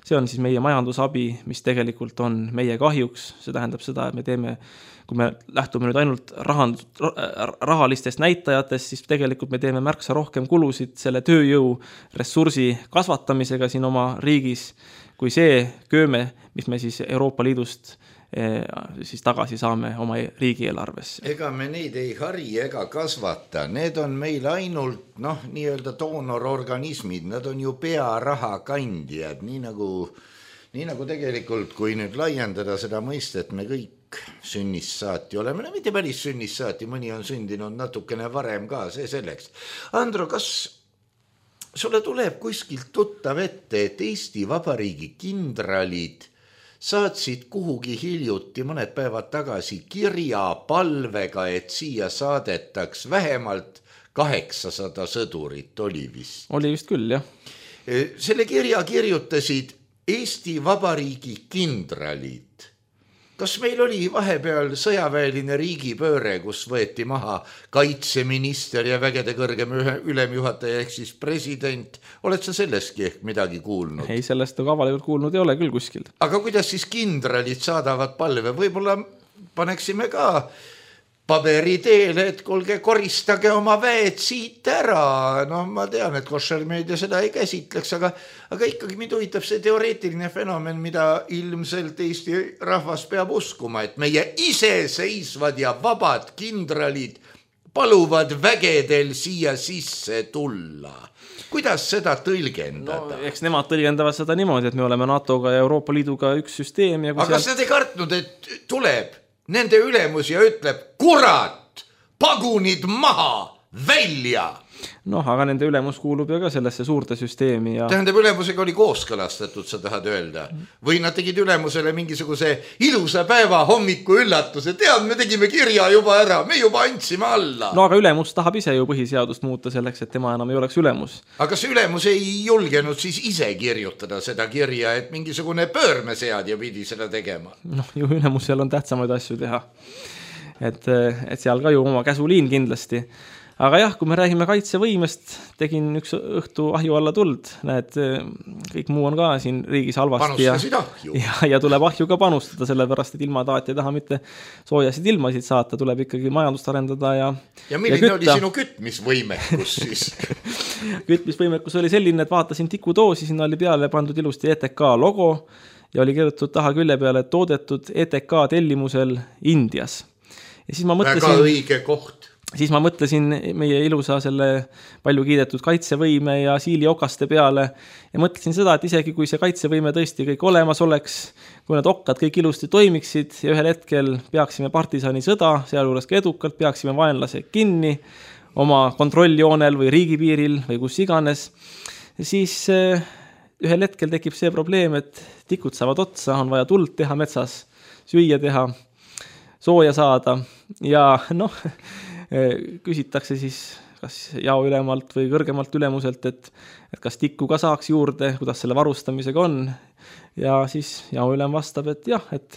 See on siis meie majandusabi, mis tegelikult on meie kahjuks. See tähendab seda, et me teeme, kui me lähtume nüüd ainult rahalistest näitajatest, siis tegelikult me teeme märksa rohkem kulusid selle tööjõu ressursi kasvatamisega siin oma riigis, kui see kööme, mis me siis Euroopa Liidust siis tagasi saame oma riigieelarvesse. Ega me neid ei hari ega kasvata, need on meil ainult nii-öelda doonororganismid, nad on ju pearaha kandjad, nii nagu tegelikult, kui nüüd laiendada seda mõistet, me kõik sünnist saati oleme, mitte päris sünnist saati, mõni on sündinud natukene varem ka, see selleks. Andro, kas sulle tuleb kuskilt tuttav ette, et Eesti Vabariigi kindralid saatsid kuhugi hiljuti mõned päevad tagasi kirja palvega, et siia saadetaks vähemalt 800 sõdurit oli vist? Oli vist küll, jah. Selle kirja kirjutasid Eesti Vabariigi kindralid. Kas meil oli vahepeal sõjaväeline riigipööre, kus võeti maha kaitseminister ja vägede kõrgem ülemjuhataja ehk siis president? Oled sa sellestki ehk midagi kuulnud? Ei, sellest avalikult kuulnud ei ole küll kuskil. Aga kuidas siis kindralid saadavad palve? Võib-olla paneksime ka paberi teele, et kuulge, koristage oma väed siit ära. Ma tean, et koššermeedia seda ei käsitleks, aga ikkagi mind huvitab see teoreetiline fenomen, mida ilmselt Eesti rahvas peab uskuma, et meie iseseisvad ja vabad kindralid paluvad vägedel siia sisse tulla. Kuidas seda tõlgendada? Eks nemad tõlgendavad seda niimoodi, et me oleme NATO-ga ja Euroopa Liiduga üks süsteem. Ja aga kas nad ei kartnud, et tuleb nende ülemus ja ütleb, kurat, pagunid maha, välja? Aga nende ülemus kuulub ju ka sellesse suurte süsteemi. Ja tähendab, ülemusega oli kooskõlastatud, sa tahad öelda? Või nad tegid ülemusele mingisuguse ilusa päeva hommiku üllatuse? Tead, me tegime kirja juba ära, me juba andsime alla. Aga ülemus tahab ise ju põhiseadust muuta selleks, et tema enam ei oleks ülemus. Aga kas ülemus ei julgenud siis ise kirjutada seda kirja, et mingisugune pöörmeseadja pidi seda tegema? Ju ülemusel on tähtsamaid asju teha. et seal ka ju oma käsuliin kindlasti. Aga jah, kui me räägime kaitsevõimest, tegin üks õhtu ahju alla tuld, näed, kõik muu on ka siin riigis halvasti ja tuleb ahju ka panustada, sellepärast, et ilma taat ei taha mitte soojasid ilmasid saata, tuleb ikkagi majandust arendada ja milline oli sinu kütmisvõimekus siis? Kütmisvõimekus oli selline, et vaatasin tikudoosi, sinna oli peale pandud ilusti ETK logo ja oli kirjutatud taha külje peale toodetud ETK tellimusel Indias. Ja siis ma mõtlesin, väga õige koht. Siis ma mõtlesin meie ilusa selle palju kiidetud kaitsevõime ja siiliokaste peale ja mõtlesin seda, et isegi kui see kaitsevõime tõesti kõik olemas oleks, kui need okkad kõik ilusti toimiksid ja ühel hetkel peaksime partisani sõda, sealjuures ka edukalt, peaksime vaenlase kinni oma kontrolljoonel või riigipiiril või kus iganes, siis ühel hetkel tekib see probleem, et tikud saavad otsa, on vaja tuld teha metsas, süüa teha, sooja saada ja küsitakse siis kas jaoülemalt või kõrgemalt ülemuselt, et kas tikku ka saaks juurde, kuidas selle varustamisega on. Ja siis jaoülem vastab, et jah, et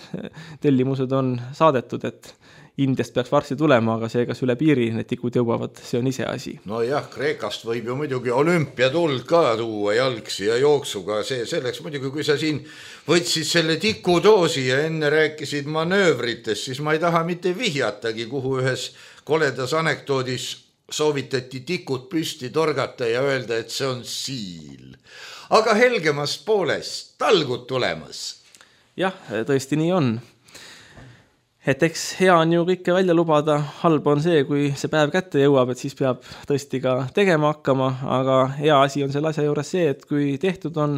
tellimused on saadetud, et Indiast peaks varsti tulema, aga see, kas üle piiri need tikud jõuavad, see on ise asi. No jah, Kreekast võib ju muidugi olümpiatuld ka tuua jalgsi ja jooksuga. See selleks muidugi, kui sa siin võtsid selle tikudoosi ja enne rääkisid manöövritest, siis ma ei taha mitte vihjatagi, kuhu ühes koledas anekdoodis soovitati tikud püsti torgata ja öelda, et see on siil. Aga helgemast poolest talgud tulemas. Jah, tõesti nii on. Et eks hea on ju kõike välja lubada, halb on see, kui see päev kätte jõuab, et siis peab tõesti ka tegema hakkama, aga hea asi on selle asja juures see, et kui tehtud on,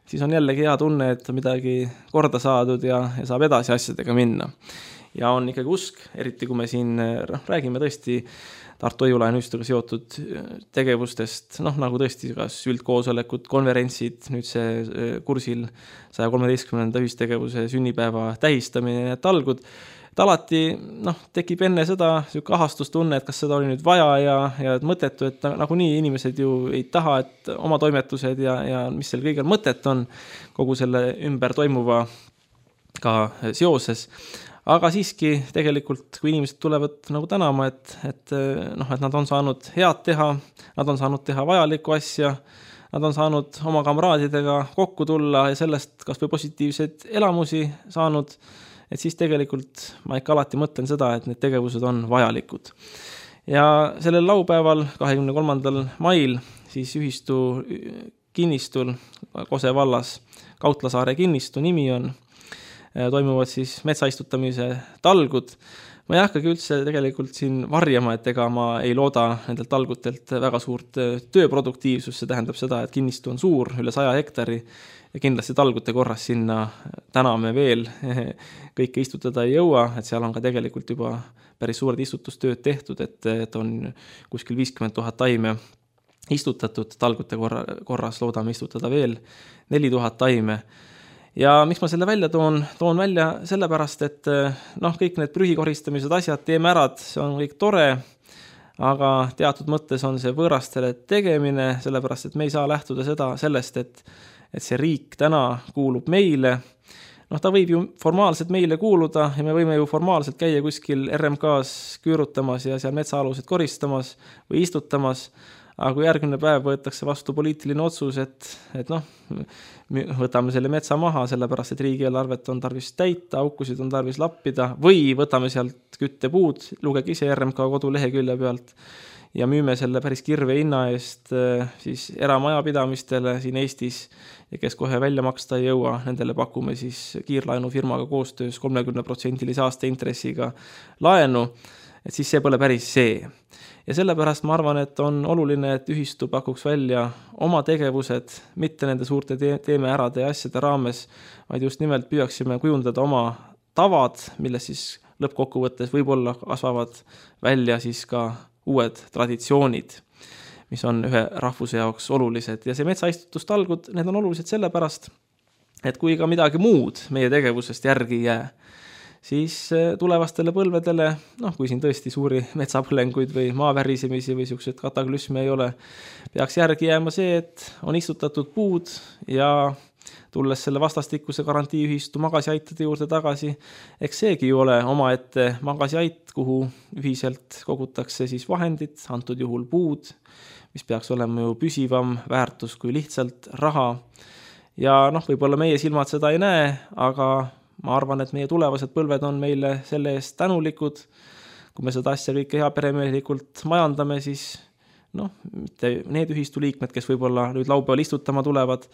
siis on jällegi hea tunne, et midagi korda saadud ja saab edasi asjadega minna. Ja on ikkagi usk, eriti kui me siin räägime tõesti Tartu Õiulaenuistuga seotud tegevustest, nagu tõesti kas üldkoosolekud, konverentsid, nüüd see kursil 113. ühistegevuse sünnipäeva tähistamine ja talgud, et alati tekib enne seda selline ahastustunne, et kas seda oli nüüd vaja ja mõttetu, et nagunii inimesed ju ei taha, et oma toimetused ja mis seal kõigil mõtet on kogu selle ümber toimuva ka seoses. Aga siiski tegelikult, kui inimesed tulevad tänama, et nad on saanud head teha, nad on saanud teha vajalikku asja, nad on saanud oma kamraadidega kokku tulla ja sellest kas või positiivseid elamusi saanud, et siis tegelikult ma ikka alati mõtlen seda, et need tegevused on vajalikud. Ja sellel laupäeval, 23. mail, siis ühistu kinnistul Kose vallas, Kautlasaare kinnistu nimi on, toimuvad siis metsaistutamise talgud. Ma ei hakkagi üldse tegelikult siin varjama, et ega ma ei looda nendelt talgutelt väga suurt tööproduktiivsust, see tähendab seda, et kinnistu on suur, üle 100 hektari ja kindlasti talgute korras sinna täna me veel kõike istutada ei jõua, et seal on ka tegelikult juba päris suured istutustööd tehtud, et on kuskil 50 000 taime istutatud talgute korras, loodame istutada veel 4000 taime. Ja miks ma selle välja toon välja sellepärast, et kõik need prühikoristamised asjad teeme ära, see on kõik tore, aga teatud mõttes on see võõrastele tegemine, sellepärast, et me ei saa lähtuda sellest, et see riik täna kuulub meile. Ta võib ju formaalselt meile kuuluda ja me võime ju formaalselt käia kuskil RMK-s küürutamas ja seal metsaalused koristamas või istutamas, aga kui järgmine päev võetakse vastu poliitiline otsus, et võtame selle metsa maha, sellepärast, et riigieelarvet on tarvis täita, aukusid on tarvis lappida või võtame sealt küttepuud, lugege ise RMK kodulehekülje pealt ja müüme selle päris kirve hinna eest siis eramajapidamistele siin Eestis ja kes kohe välja maksta ei jõua, nendele pakume siis kiirlaenufirmaga koostöös 30% aastaintressiga laenu, et siis see pole päris see. Ja sellepärast ma arvan, et on oluline, et ühistu pakuks välja oma tegevused, mitte nende suurte teeme ärade ja asjade raames, vaid just nimelt püüaksime kujundada oma tavad, milles siis lõppkokkuvõttes võib-olla kasvavad välja siis ka uued traditsioonid, mis on ühe rahvuse jaoks olulised. Ja see metsaistutustalgud, need on olulised sellepärast, et kui ka midagi muud meie tegevusest järgi ei jää, siis tulevastele põlvedele, kui siin tõesti suuri metsapõlenguid või maavärisemisi või sellised kataklüsme ei ole, peaks järgi jääma see, et on istutatud puud ja tulles selle vastastikuse garantiiühistu magasiaitade juurde tagasi, eks seegi ju ole omaette magasiait, kuhu ühiselt kogutakse siis vahendid, antud juhul puud, mis peaks olema ju püsivam väärtus kui lihtsalt raha. Ja võib-olla meie silmad seda ei näe, aga ma arvan, et meie tulevased põlved on meile selle eest tänulikud. Kui me seda asja kõike heaperemehelikult majandame, siis mitte need ühistu liikmed, kes võib-olla nüüd laupäeval istutama tulevad,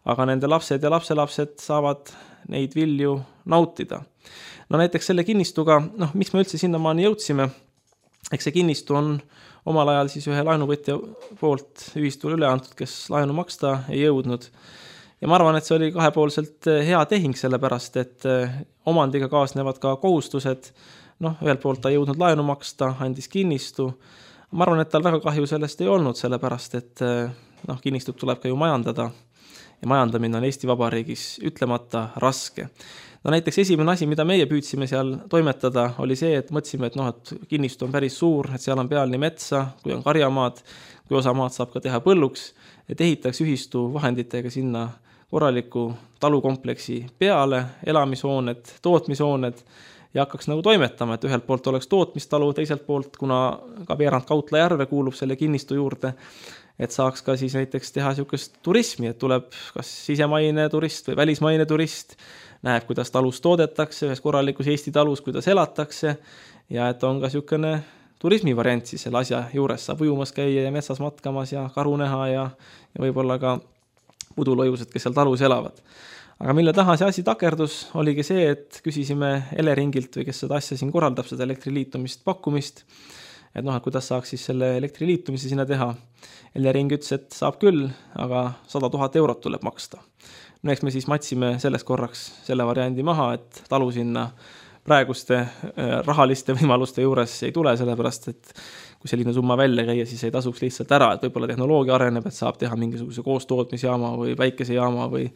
aga nende lapsed ja lapselapsed saavad neid vilju nautida. Näiteks selle kinnistuga, miks me üldse sinnamaani jõudsime, eks see kinnistu on omal ajal siis ühe laenuvõtja poolt ühistule üle antud, kes laenu maksta ei jõudnud. Ja ma arvan, et see oli kahepoolselt hea tehing, sellepärast, et omandiga kaasnevad ka kohustused. Ühelt poolt ta jõudnud laenu maksta, andis kinnistu. Ma arvan, et tal väga kahju sellest ei olnud, sellepärast, et kinnistut tuleb ka ju majandada. Ja majandamine on Eesti Vabariigis ütlemata raske. Näiteks esimene asi, mida meie püüdsime seal toimetada, oli see, et mõtlesime, et kinnistu on päris suur, et seal on peal nii metsa, kui on karjamaad, kui osa maad saab ka teha põlluks, et ehitaks ühistu vahenditega sinna korraliku talukompleksi peale, elamishooned, tootmishooned ja hakkaks toimetama, et ühelt poolt oleks tootmistalu, teiselt poolt, kuna ka veerand Kautla järve kuulub selle kinnistu juurde, et saaks ka siis näiteks teha niisugust turismi, et tuleb kas sisemaine turist või välismaine turist, näeb, kuidas talus toodetakse, ühes korralikus Eesti talus, kuidas elatakse ja et on ka niisugune turismivariant siis selle asja juures, saab ujumas käia ja metsas matkamas ja karu näha ja võib-olla ka pudulojused, kes seal talus elavad. Aga mille taha see asi takerdus, oligi see, et küsisime Eleringilt või kes seda asja siin korraldab, seda elektriliitumist pakkumist, et kuidas saaks siis selle elektriliitumise sinna teha. Elering ütles, et saab küll, aga 100 000 eurot tuleb maksta. Eks me siis matsime selles korraks selle variandi maha, et talu sinna praeguste rahaliste võimaluste juures ei tule, sellepärast, et kui selline summa välja käia, siis ei tasuks lihtsalt ära, et võib-olla tehnoloogia areneb, et saab teha mingisuguse koostootmisjaama või päikesejaama või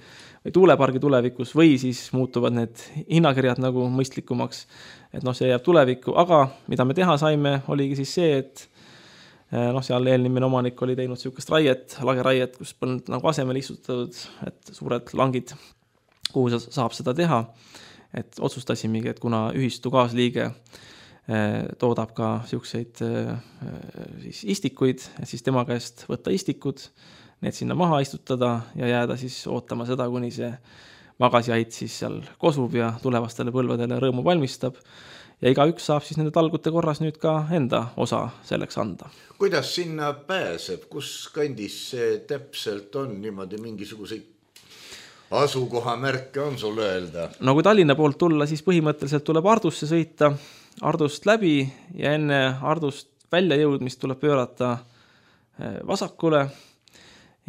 tuulepargi tulevikus või siis muutuvad need hinnakirjad mõistlikumaks, et see jääb tulevikku, aga mida me teha saime, oligi siis see, et seal eelnimine omanik oli teinud niisugust raiet, lageraiet, kus polnud asemel istutatud, et suured langid, kuhu saab seda teha, et otsustasimegi, et kuna ühistu kaasliige toodab ka niisuguseid istikuid, et siis tema käest võtta istikud, need sinna maha istutada ja jääda siis ootama seda, kuni see magasiait siis seal kosub ja tulevastele põlvedele rõõmu valmistab. Ja igaüks saab siis nende talgute korras nüüd ka enda osa selleks anda. Kuidas sinna pääseb? Kus kandis see täpselt on? Niimoodi mingisuguseid asukohamärke on sul öelda? Kui Tallinna poolt tulla, siis põhimõtteliselt tuleb Ardusse sõita, Ardust läbi ja enne Ardust välja jõudmist tuleb pöörata vasakule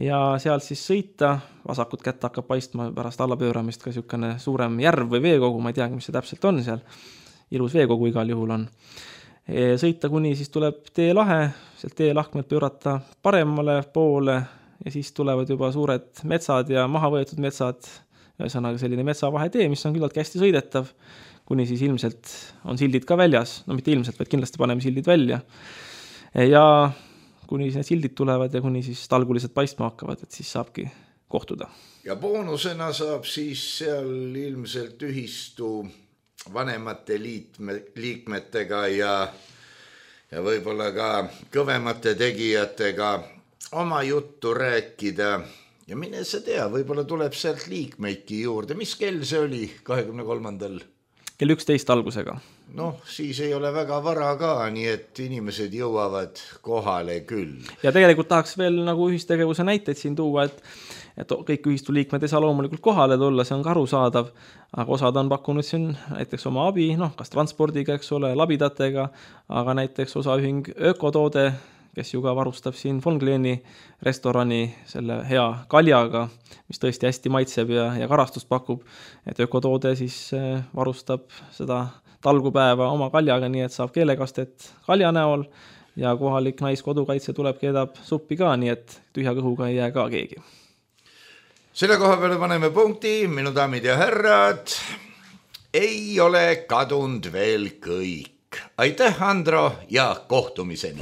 ja sealt siis sõita. Vasakut kätt hakkab paistma pärast allapööramist ka niisugune suurem järv või veekogu, ma ei teagi, mis see täpselt on seal. Ilus veekogu igal juhul on. Sõita kuni siis tuleb teelahe, sealt teelahkmelt pöörata paremale poole ja siis tulevad juba suured metsad ja maha võetud metsad, ühesõnaga selline metsavahetee, mis on küllalt hästi sõidetav, kuni siis ilmselt on sildid ka väljas, mitte ilmselt, vaid kindlasti paneme sildid välja. Ja kuni need sildid tulevad ja kuni siis talgulised paistma hakkavad, et siis saabki kohtuda. Ja boonusena saab siis seal ilmselt ühistu vanemate liikmetega ja võib-olla ka kõvemate tegijatega oma juttu rääkida ja mine sa tea, võib-olla tuleb sealt liikmeidki juurde. Mis kell see oli 23. Kell 11 algusega. Siis ei ole väga vara ka, nii et inimesed jõuavad kohale küll. Ja tegelikult tahaks veel ühistegevuse näiteid siin tuua, et kõik ühistu liikmed ei saa loomulikult kohale tulla, see on ka arusaadav, aga osad on pakkunud siin näiteks oma abi, kas transpordiga, eks ole, labidatega, aga näiteks osaühing Ökotoode, kes ju ka varustab siin Von Kleeni restorani selle hea kaljaga, mis tõesti hästi maitseb ja karastust pakub, et Ökotoode siis varustab seda talgupäeva oma kaljaga, nii et saab keelekastet kalja näol ja kohalik naiskodukaitse tuleb, keedab suppi ka, nii et tühja kõhuga ei jää ka keegi. Selle koha peale paneme punkti, minu daamid ja härrad, ei ole kadunud veel kõik. Aitäh, Andro, ja kohtumiseni!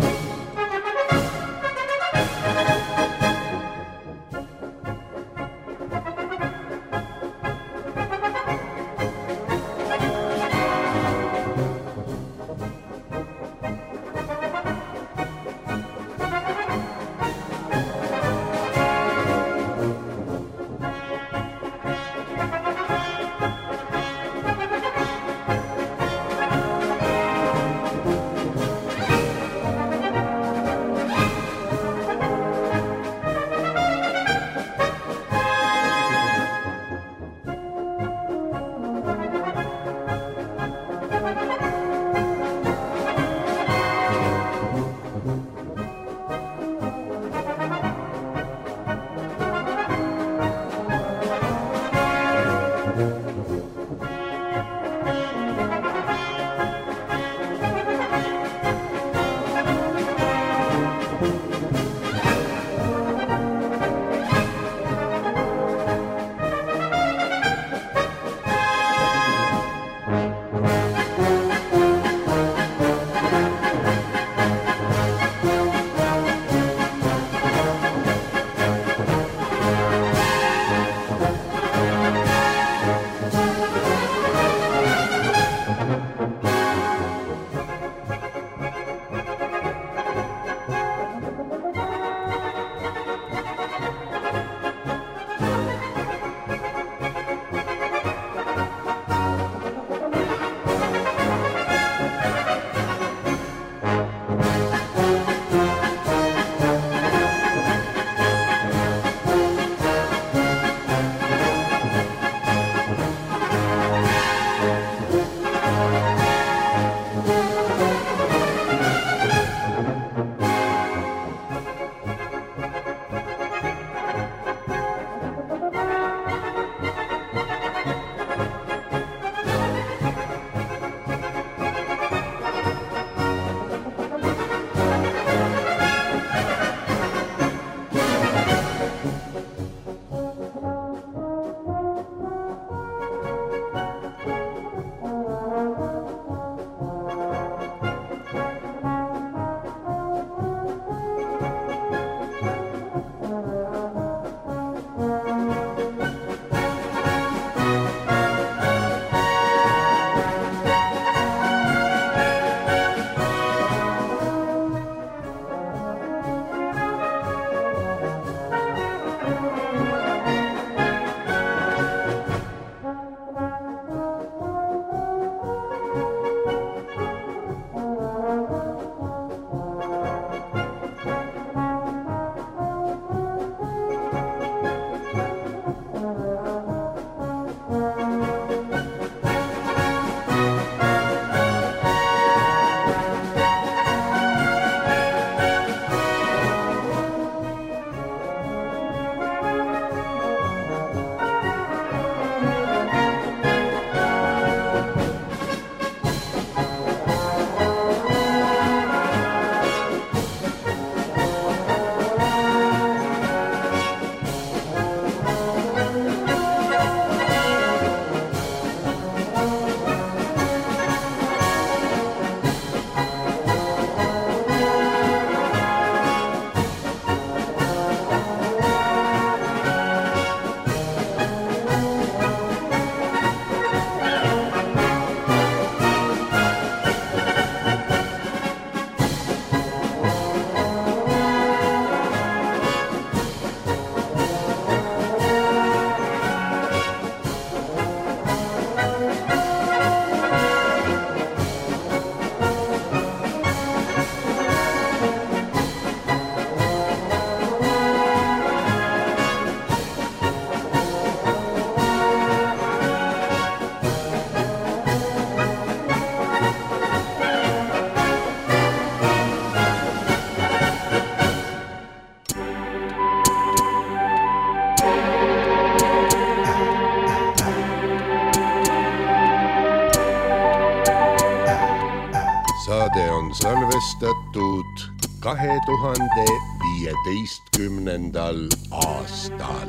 salvestatud 2015. aastal.